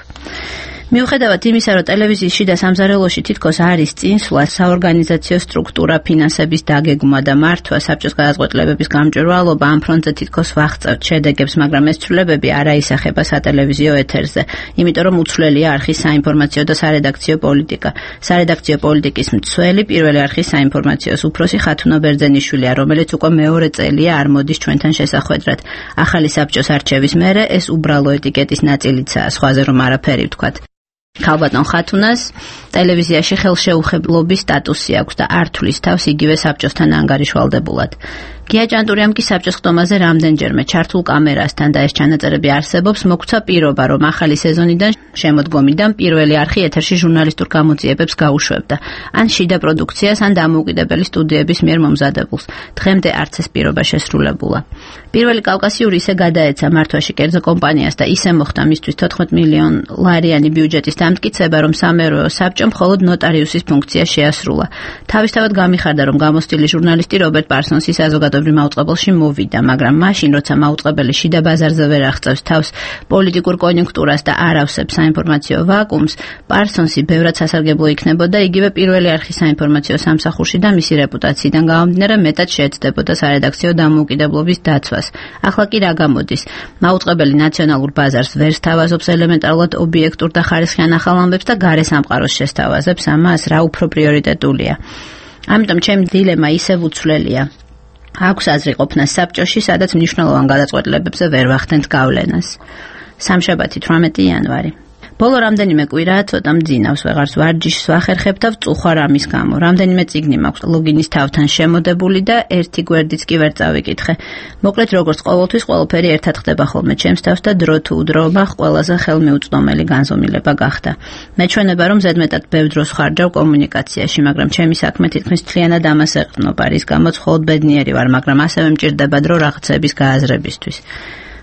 მიუხედავად იმისა, რომ ტელევიზიის შიდა სამზარეულოში თითქოს არის წინსვლა, საორგანიზაციო სტრუქტურა, ფინანსების დაგეგმვა და მართვა, საბჭოს გადაწყვეტილებების გამჭვირვალობა, ამ ფრონტზე თითქოს ვაღწევთ შედეგებს, მაგრამ ეს ცვლილებები არ აისახება სატელევიზიო ეთერზე, იმიტომ რომ უცვლელია არხის საინფორმაციო და სარედაქციო პოლიტიკა. სარედაქციო პოლიტიკის მცველი პირველი არხის საინფორმაციოს უფროსი ხათუნა ბერძენიშვილია, რომელიც უკვე მეორე წელია არ მოდის ჩვენთან შესახვედრად. ახალი საბჭოს არჩევის მერე ეს უბრალო ეტიკეტის ნაწილიცაა, სხვაზე რომ არაფერი ვთქვათ. ქალბატონ ხათუნას ტელევიზიაში ხელშეუხებლობის სტატუსი აქვს და არ თვლის თავს იგივე საბჭოსთან ანგარიშვალდებულად. გია ჭანტურიამ კი საბჭოს ხდომაზე რამდენჯერმე ჩართულ კამერასთან და ეს ჩანაწერები არსებობს, მოგცა პირობა, რომ ახალი სეზონიდან შემოდგომიდან პირველი არხი ეთერში ჟურნალისტურ გამოძიებებს გაუშვებდა, ან შიდა პროდუქციას, ან დამოუკიდებელი სტუდიების მიერ მომზადებულს. დღემდე არც ეს პირობა შესრულებულა. პირველი კავკასიური ისე გადაეცა მართვაში კერძო კომპანიას და ისე მოხდა მისთვის თოთხმეტ მილიონ ლარიანი ბიუჯეტის დამტკიცება, რომ სამეურვეო საბჭომ მხოლოდ ნოტარიუსის ფუნქცია შეასრულა. თავისთავად გამიხარდა, რომ გამოცდილი ჟურნალისტი რობერტ პარსონსი საზოგადოებრივ მაუწყებელში მოვიდა, მაგრამ მაშინ, როცა მაუწყებელი შიდა ბაზარზე ვერ აღწევს თავს პოლიტიკურ კონიუნქტურას და არ ავსებს საინფორმაციო ვაკუუმს, პარსონსი ბევრად სასარგებლო იქნებოდა იგივე პირველი არხის საინფორმაციო სამსახურში და მისი რეპუტაციიდან გამომდინარე მეტად შეეცდებოდა სარედაქციო დამოუკიდებლობის დაცვას. ახლა კი რა გამოდის? მაუწყებელი ნაციონალურ ბაზარს ვერ სთავაზობს ელემენტარულად ობიექტურ და ხარისხიან ახალ ამბებს და გარე სამყაროს შესთავაზებს ამას, რა უფრო პრიორიტეტულია. ამიტომ ჩემი დილემა ისევ უცვლელია. აქვს აზრი ყოფნა საბჭოში, სადაც მნიშვნელოვან გადაწყვეტილებებზე ვერ ვახდენთ გავლენას. სამშაბათი თვრამეტი იანვარი. ბოლო რამდენიმე კვირაა ცოტა მძინავს, ვეღარც ვარჯიშს ვახერხებ და ვწუხარ ამის გამო. რამდენიმე წიგნი მაქვს ლოგინის თავთან შემოდებული და ერთი გვერდიც კი ვერ წავიკითხე. მოკლედ, როგორც ყოველთვის, ყველაფერი ერთად ხდება ხოლმე ჩემს თავს და დრო თუ დროობა ყველაზე ხელმიუწვდომელი განზომილება გახდა. მეჩვენება, რომ ზედმეტად ბევრ დროს ხარჯავ კომუნიკაციაში, მაგრამ ჩემი საქმე თითქმის მთლიანად ამას ეყრდნობა, რის გამოც მხოლოდ ბედნიერი ვარ, მაგრამ ასევე მჭირდება დრო რაღაცების გააზრებისთვის.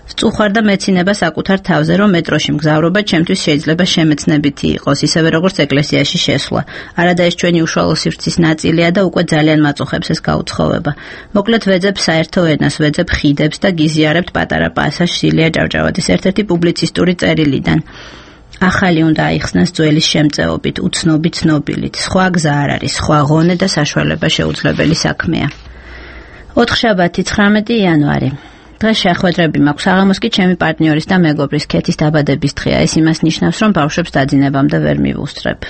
ვწუხარ და მეცინება საკუთარ თავზე, რომ მეტროში მგზავრობა ჩემთვის შეიძლება შემეცნებითი იყოს, ისევე როგორც ეკლესიაში შესვლა. არადა ეს ჩვენი უშუალო სივრცის ნაწილია და უკვე ძალიან მაწუხებს ეს გაუცხოვება. მოკლედ ვეძებ საერთო ენას, ვეძებ ხიდებს და გიზიარებთ პატარა პასაჟს ილია ჭავჭავაძის ერთ-ერთი პუბლიცისტური წერილიდან. ახალი უნდა აიხსნას ძველის შემწეობით, უცნობი ცნობილით. სხვა გზა არ არის, სხვა ღონე და საშუალება შეუძლებელი საქმეა. ოთხშაბათი ცხრამეტი იანვარი. დღეს შეხვედრები მაქვს, საღამოს კი ჩემი პარტნიორის და მეგობრის ქეთის დაბადების დღეა. ეს იმას ნიშნავს, რომ ბავშვებს დაძინებამდე ვერ მივუსწრებ.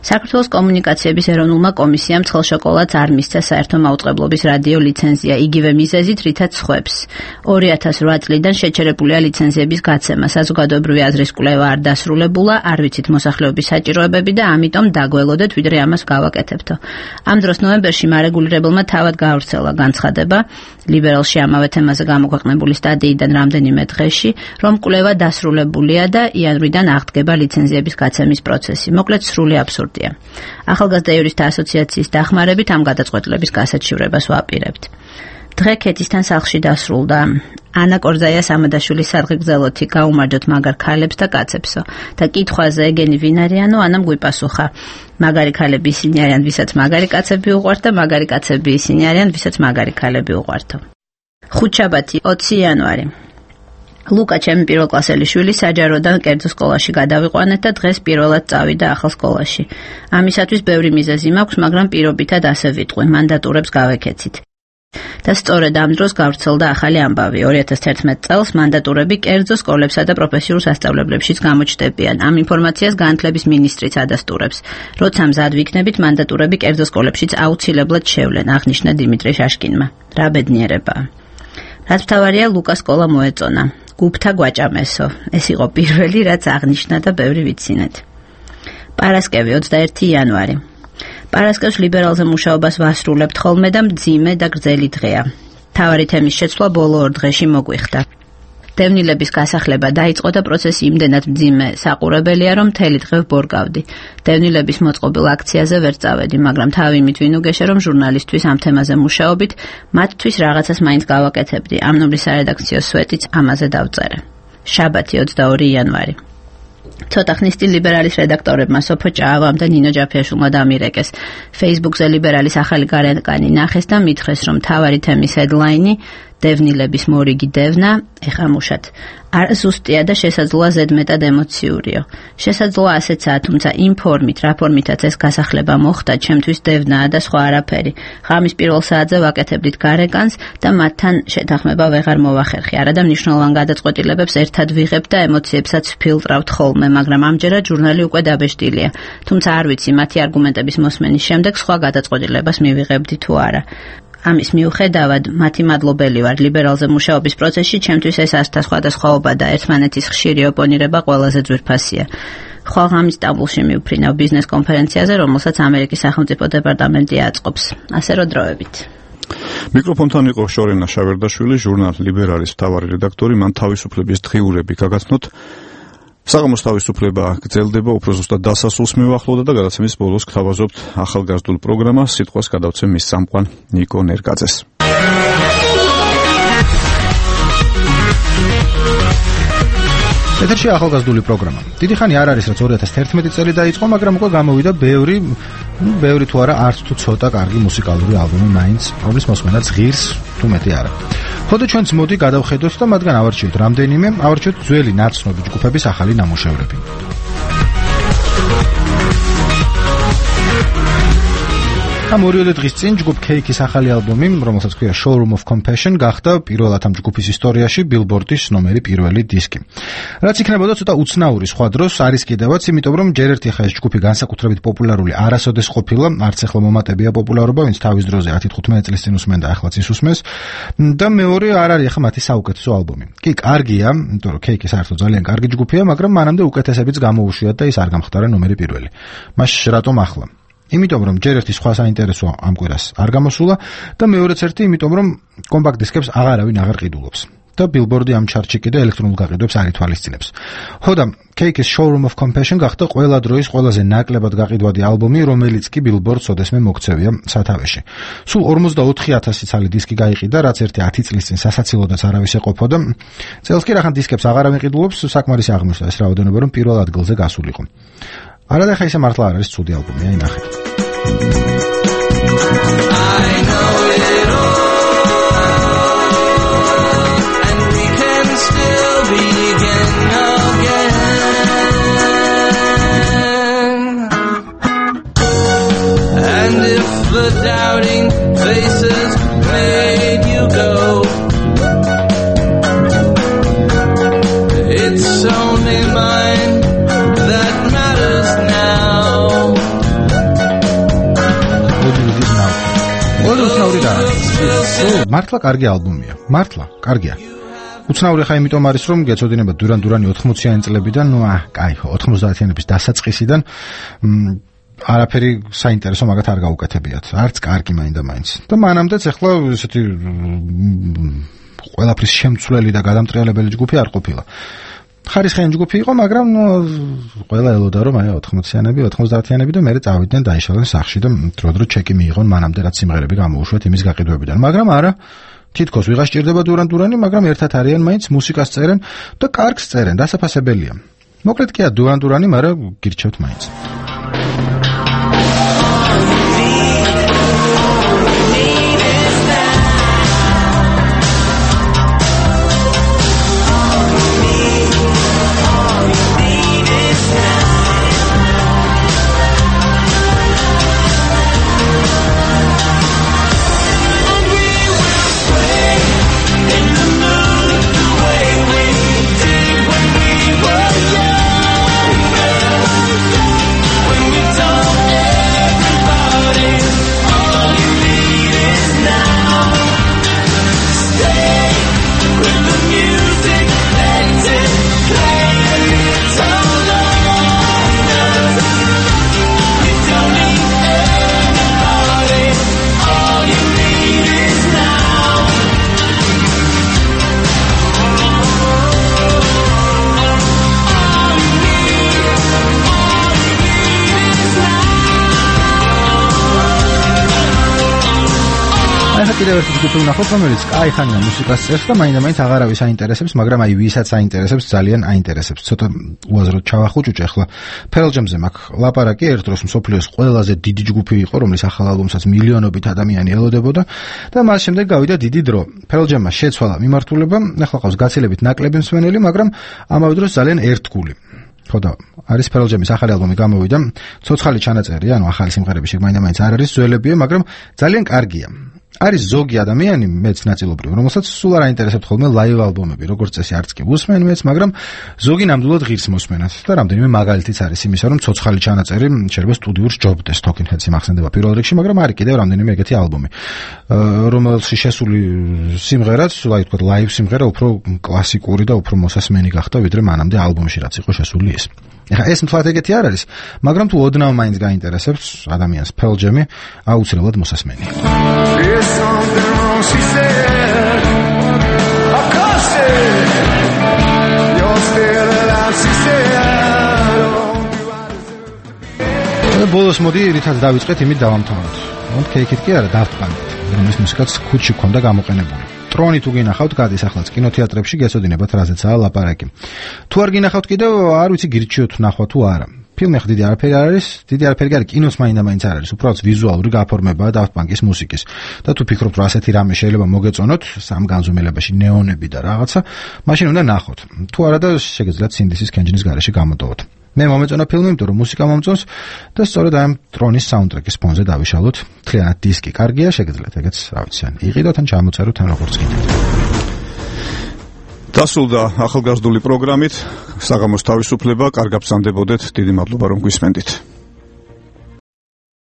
საქართველოს კომუნიკაციების ეროვნულმა კომისიამ ცხელშოკოლადს არ მისცა საერთო მაუწყებლობის რადიო ლიცენზია, იგივე მიზეზით, რითაც სხვებს. ორი ათას რვა წლიდან შეჩერებულია ლიცენზიების გაცემა, საზოგადოებრივი აზრის კვლევა არ დასრულებულა, არ ვიცით მოსახლეობის საჭიროებები და ამიტომ დაგველოდეთ, ვიდრე ამას გავაკეთებთო. ამ დროს ნოემბერში მარეგულირებელმა თავად გაავრცელა განცხადება, ლიბერალში ამავე თემაზე გამოქვეყნებული სტატიიდან რამდენიმე დღეში, რომ კვლევა დასრულებულია და იანვრიდან აღდგება ლიცენზიების გაცემის პროცესი. მოკლედ სრული აბსურდია. ახალგაზრდა იურისტთა ასოციაციის დახმარებით ამ გადაწყვეტილების გასაჩივრებას ვაპირებთ. დღე ქეთისთან სახლში დასრულდა. ანა კორძაია სამადაშვილის სადღეგრძელოთი გაუმარჯოთ მაგარ ქალებს და კაცებსო და კითხვაზე ეგენი ვინ არიანო ანამ გვიპასუხა. მაგარი ქალები ისინი არიან, ვისაც მაგარი კაცები უყვართ და მაგარი კაცები ისინი არიან, ვისაც მაგარი ქალები უყვართო. ხუთშაბათი ოცი იანვარი. ლუკა ჩემი პირველკლასელი შვილი საჯაროდან კერძო სკოლაში გადავიყვანეთ და დღეს პირველად წავიდა ახალ სკოლაში. ამისათვის ბევრი მიზეზი მაქვს, მაგრამ პირობითად ასე ვიტყვი, მანდატურებს გავეკეცით. და სწორედ ამ დროს გავრცელდა ახალი ამბავი. ორი ათას თერთმეტ წელს მანდატურები კერძო სკოლებსა და პროფესიულ სასწავლებლებშიც გამოჩნდებიან. ამ ინფორმაციას განათლების მინისტრიც ადასტურებს. როცა მზად ვიქნებით, მანდატურები კერძო სკოლებშიც აუცილებლად შევლენ, აღნიშნა დიმიტრი შაშკინმა. რა ბედნიერებაა. რაც მთავარია, ლუკა სკოლა მოეწონა. გუფთა გვაჭამესო. ეს იყო პირველი, რაც აღნიშნა და ბევრი ვიცინეთ. პარასკევი ოცდაერთი იანვარი. პარასკევს ლიბერალზე მუშაობას ვასრულებთ ხოლმე და მძიმე და გრძელი დღეა. მთავარი თემის შეცვლა ბოლო ორ დღეში მოგვიხდა. დევნილების გასახლება დაიწყო და პროცესი იმდენად მძიმე საყურებელია, რომ მთელი დღე ვბორგავდი. დევნილების მოწყობილ აქციაზე ვერ წავედი, მაგრამ თავი იმით ვინუგეშე, რომ ჟურნალისტვის ამ თემაზე მუშაობით მათთვის რაღაცას მაინც გავაკეთებდი. ამ ნომრის სარედაქციო სვეტიც ამაზე დავწერე. შაბათი ოცდაორი იანვარი. ცოტა ხნის წინ ლიბერალის რედაქტორებმა სოფო ჭაავამ და ნინო ჯაფიაშვილმა დამირეკეს. Facebook-ზე ლიბერალის ახალი გარეკანი ნახეს და მითხრეს, რომ მთავარი თემის headline-ი დევნილების მორიგი დევნა, ეხა მუშათ. არ ზუსტია და შესაძლოა ზედმეტად ემოციურიო. შესაძლოა ასეცაა, თუმცა იმ ფორმით, რა ფორმითაც ეს გასახლება მოხდა, ჩემთვის დევნაა და სხვა არაფერი. ღამის პირველ საათზე ვაკეთებდით გარეკანს და მათთან შეთანხმება ვეღარ მოვახერხი. არადა მნიშვნელოვან გადაწყვეტილებებს ერთად ვიღებ და ემოციებსაც ვფილტრავთ ხოლმე, მაგრამ ამჯერად ჟურნალი უკვე დაბეჭდილია. თუმცა არ ვიცი, მათი არგუმენტების მოსმენის შემდეგ სხვა გადაწყვეტილებას მივიღებდი თუ არა. ამის მიუხედავად, მათი მადლობელი ვარ ლიბერალზე მუშაობის პროცესში, ჩემთვის ეს ასთა სხვადასხვაობა და ერთმანეთის ხშირი ოპონირება ყველაზე ძვირფასია. ხვალღამის სტამბოლში მივფრინავ ბიზნეს კონფერენციაზე, რომელსაც ამერიკის სახელმწიფო დეპარტამენტი აწყობს. ასე რომ დროებით. მიკროფონთან იყო შორენა შავერდაშვილი, ჟურნალ ლიბერალის მთავარი რედაქტორი, მან თავისუფლების დღიურები გაგაცნოთ. საღამოს თავისუფლება გრძელდება, უფრო ზუსტად დასასრულს მივახლოვდა და გადაცემის ბოლოს გთავაზობთ ახალგაზრდულ პროგრამას, სიტყვას გადავცემ მის წამყვან ნიკო ნერგაძეს. ეთერში ახალგაზრდული პროგრამა. დიდი ხანი არ არის, რაც ორი ათას თერთმეტი წელი დაიწყო, მაგრამ უკვე გამოვიდა ბევრი, ბევრი თუ არა, არც თუ ცოტა კარგი მუსიკალური ალბომი მაინც, რომლის მოსმენაც ღირს თუ მეტი არა. ხოდა ჩვენც მოდი გადავხედოთ და მათგან ავარჩიოთ რამდენიმე, ავარჩიოთ ძველი ნაცნობი ჯგუფების ახალი ნამუშევრები. ამ ორიოდე დღის წინ ჯგუფ Cake-ის ახალი ალბომი, რომელსაც ქვია Showroom of Compassion, გახდა პირველად ამ ჯგუფის ისტორიაში Billboard-ის ნომერი პირველი დისკი. რაც იქნებოდა ცოტა უცნაური სხვა დროს არის კიდევაც, იმიტომ რომ ჯერ ერთი ხა ეს ჯგუფი განსაკუთრებით პოპულარული არასოდეს ყოფილა, არც ახლა მომატებია პოპულარობა, ვინც თავის დროზე ათი თხუთმეტი წლის წინ უსმენდა, ახლა ის უსმენს. და მეორე არ არის ახლა მათი საუკეთესო ალბომი. კი, კარგია, იმიტომ რომ Cake-ი საერთოდ ძალიან კარგი ჯგუფია, მაგრამ მანამდე უკეთესებიც გამოუშვიათ და ის არ გამხდარა ნომერი პირველი. მაშინ რატომ ახლა? იმიტომ რომ ჯერ ერთი სხვა საინტერესო ამ კვირას არ გამოსულა და მეორეც ერთი იმიტომ რომ კომპაქტ დისკებს აღარავინ აღარ ყიდულობს და Billboard-ი ამ ჩარტში კიდე ელექტრონულ გაყიდვებს არ ითვალისწინებს. ხოდა Cake-ის Showroom of Compassion გახდა ყველა დროის ყველაზე ნაკლებად გაყიდვადი ალბომი, რომელიც კი Billboard-ს ოდესმე მოქცევია სათავეში. სულ ორმოცდაოთხი ათასი ცალი დისკი გაიყიდა, რაც ერთი ათი წლის წინ სასაცილოდაც არავის ეყოფოდა. წელს კი რახან დისკებს აღარავინ ყიდულობს, საკმარისი აღმოჩნდა ეს რაოდენობა, რომ პირველ ადგილზე გასულიყო. არა და ხა ისე მართლა არ არის ცუდი ალბომი, აი ნახეთ. მართლა კარგი ალბომია. მართლა, კარგია. უცნაური ხა იმიტომ არის, რომ გეცოდინება დურან დურანი ოთხმოციანი წლებიდან, ნუ აა, კაი, ოცდაათიანების დასაწყისიდან არაფერი საინტერესო მაგათ არ გაუკეთებიათ. არც კარგი მაინდა-მაინც. და მანამდეც ახლა ესეთი ყველაფრის შემცვლელი და გადამტრიალებელი ჯგუფი არ ყოფილა. ხარისხიანი ჯგუფი იყო, მაგრამ ნუ ყველა ელოდა რომ აი ოთხმოციანები, ოცდაათიანები და მერე წავიდნენ დაიშალენ სახში და დრო-დრო ჩეკი მიიღონ მანამდე რაც სიმღერები გამოუშვათ იმის გაყიდვებიდან. მაგრამ არა, თითქოს ვიღაც ჭირდება დურან-დურანი, მაგრამ ერთად არიან მაინც მუსიკას წერენ და კარგს წერენ, დასაფასებელია. მოკლედ კი დურან-დურანი, მაგრამ გირჩევთ მაინც. კიდევ ერთი ჯგუფი ვნახოთ, რომელიც კაი ხანია მუსიკას წერს და მაინდა-მაინც აღარავის აინტერესებს, მაგრამ აი ვისაც აინტერესებს, ძალიან აინტერესებს. ცოტა უაზროდ ჩავახუჭუჭე ახლა Pearl Jam-ზე მაქვს ლაპარაკი, ერთ დროს მსოფლიოს ყველაზე დიდი ჯგუფი იყო, რომლის ახალ ალბომსაც მილიონობით ადამიანი ელოდებოდა და მას შემდეგ გავიდა დიდი დრო. Pearl Jam-მა შეცვალა მიმართულება, ახლა ყავს გაცილებით ნაკლები მსმენელი, მაგრამ ამავე დროს ძალიან ერთგული. ხოდა არის Pearl Jam-ის ახალი ალბომი გამოვიდა, ცოცხალი ჩანაწერია, ანუ ახალი სიმღერები შეგ მაინდა-მაინც არ არის ძველებია, მაგრამ ძალიან კარგია. არის ზოგი ადამიანი, მეც ნაწილობრივ, რომელსაც სულ არ აინტერესებთ ხოლმე ლაივ ალბომები, როგორც წესი არც კი უსმენ მეც, მაგრამ ზოგი ნამდვილად ღირს მოსმენად და რამდენიმე მაგალითიც არის იმისა, რომ ცოცხალი ჩანაწერი შეიძლება სტუდიურს ჯობდეს, Talking Heads-ი მახსენდება პირველ რიგში, მაგრამ არის კიდევ რამდენიმე ეგეთი ალბომი, რომელში შესული სიმღერაც, აი თქვა ლაივ სიმღერა უფრო კლასიკური და უფრო მოსასმენი გახდა, ვიდრე მანამდე ალბომში რაც იყო შესული ის. ეხლა ეს მთლად ეგეთი არ არის, მაგრამ თუ ოდნავ მაინც გაინტერესებს ადამიანს Pearl Jam-ი, აუცილებლად მოსასმენია. ბოლოს მოდი რითაც დავიწყეთ, იმით დავამთავროთ. მოდ კეიქით კი არა, Daft Punk-ით, რომლის მუსიკაც ხუთში ქონდა გამოყენებული. ტრონი თუ გინახავთ, გადის ახლა კინოთეატრებში, გეცოდინებათ რაზეცაა ლაპარაკი. თუ არ გინახავთ კიდევ, არ ვიცი გირჩიოთ ნახვა თუ არა. ფილმი ხა დიდი არაფერი არ არის, დიდი არაფერი არ არის, კინოს მაინდა-მაინც არ არის, უბრალოდ ვიზუალური გაფორმებაა Daft Punk-ის მუსიკის. და თუ ფიქრობთ, რომ ასეთი რამე შეიძლება მოგეწონოთ, სამ განზომილებაში ნეონები და რაღაცა, მაშინ უნდა ნახოთ. თუ არა და შეგეძლოთ სინდისის კენჯინის გარეშე გამოდოვოთ. მე მომეწონა ფილმი, იმიტომ რომ მუსიკა მომწონს და სწორედ ამ ტრონის საუნდტრეკის ფონზე დავიშალოთ. მთლიანად დისკი კარგია, შეგეძლოთ ეგეც, რა ვიცი, ან იყიდოთ, ან ჩამოწეროთ, ან როგორც გინდათ. დასრულდა ახალგაზრდული პროგრამით საღამოს თავისუფლება, კარგად ბრძანდებოდეთ, დიდი მადლობა რომ გვისმენდით.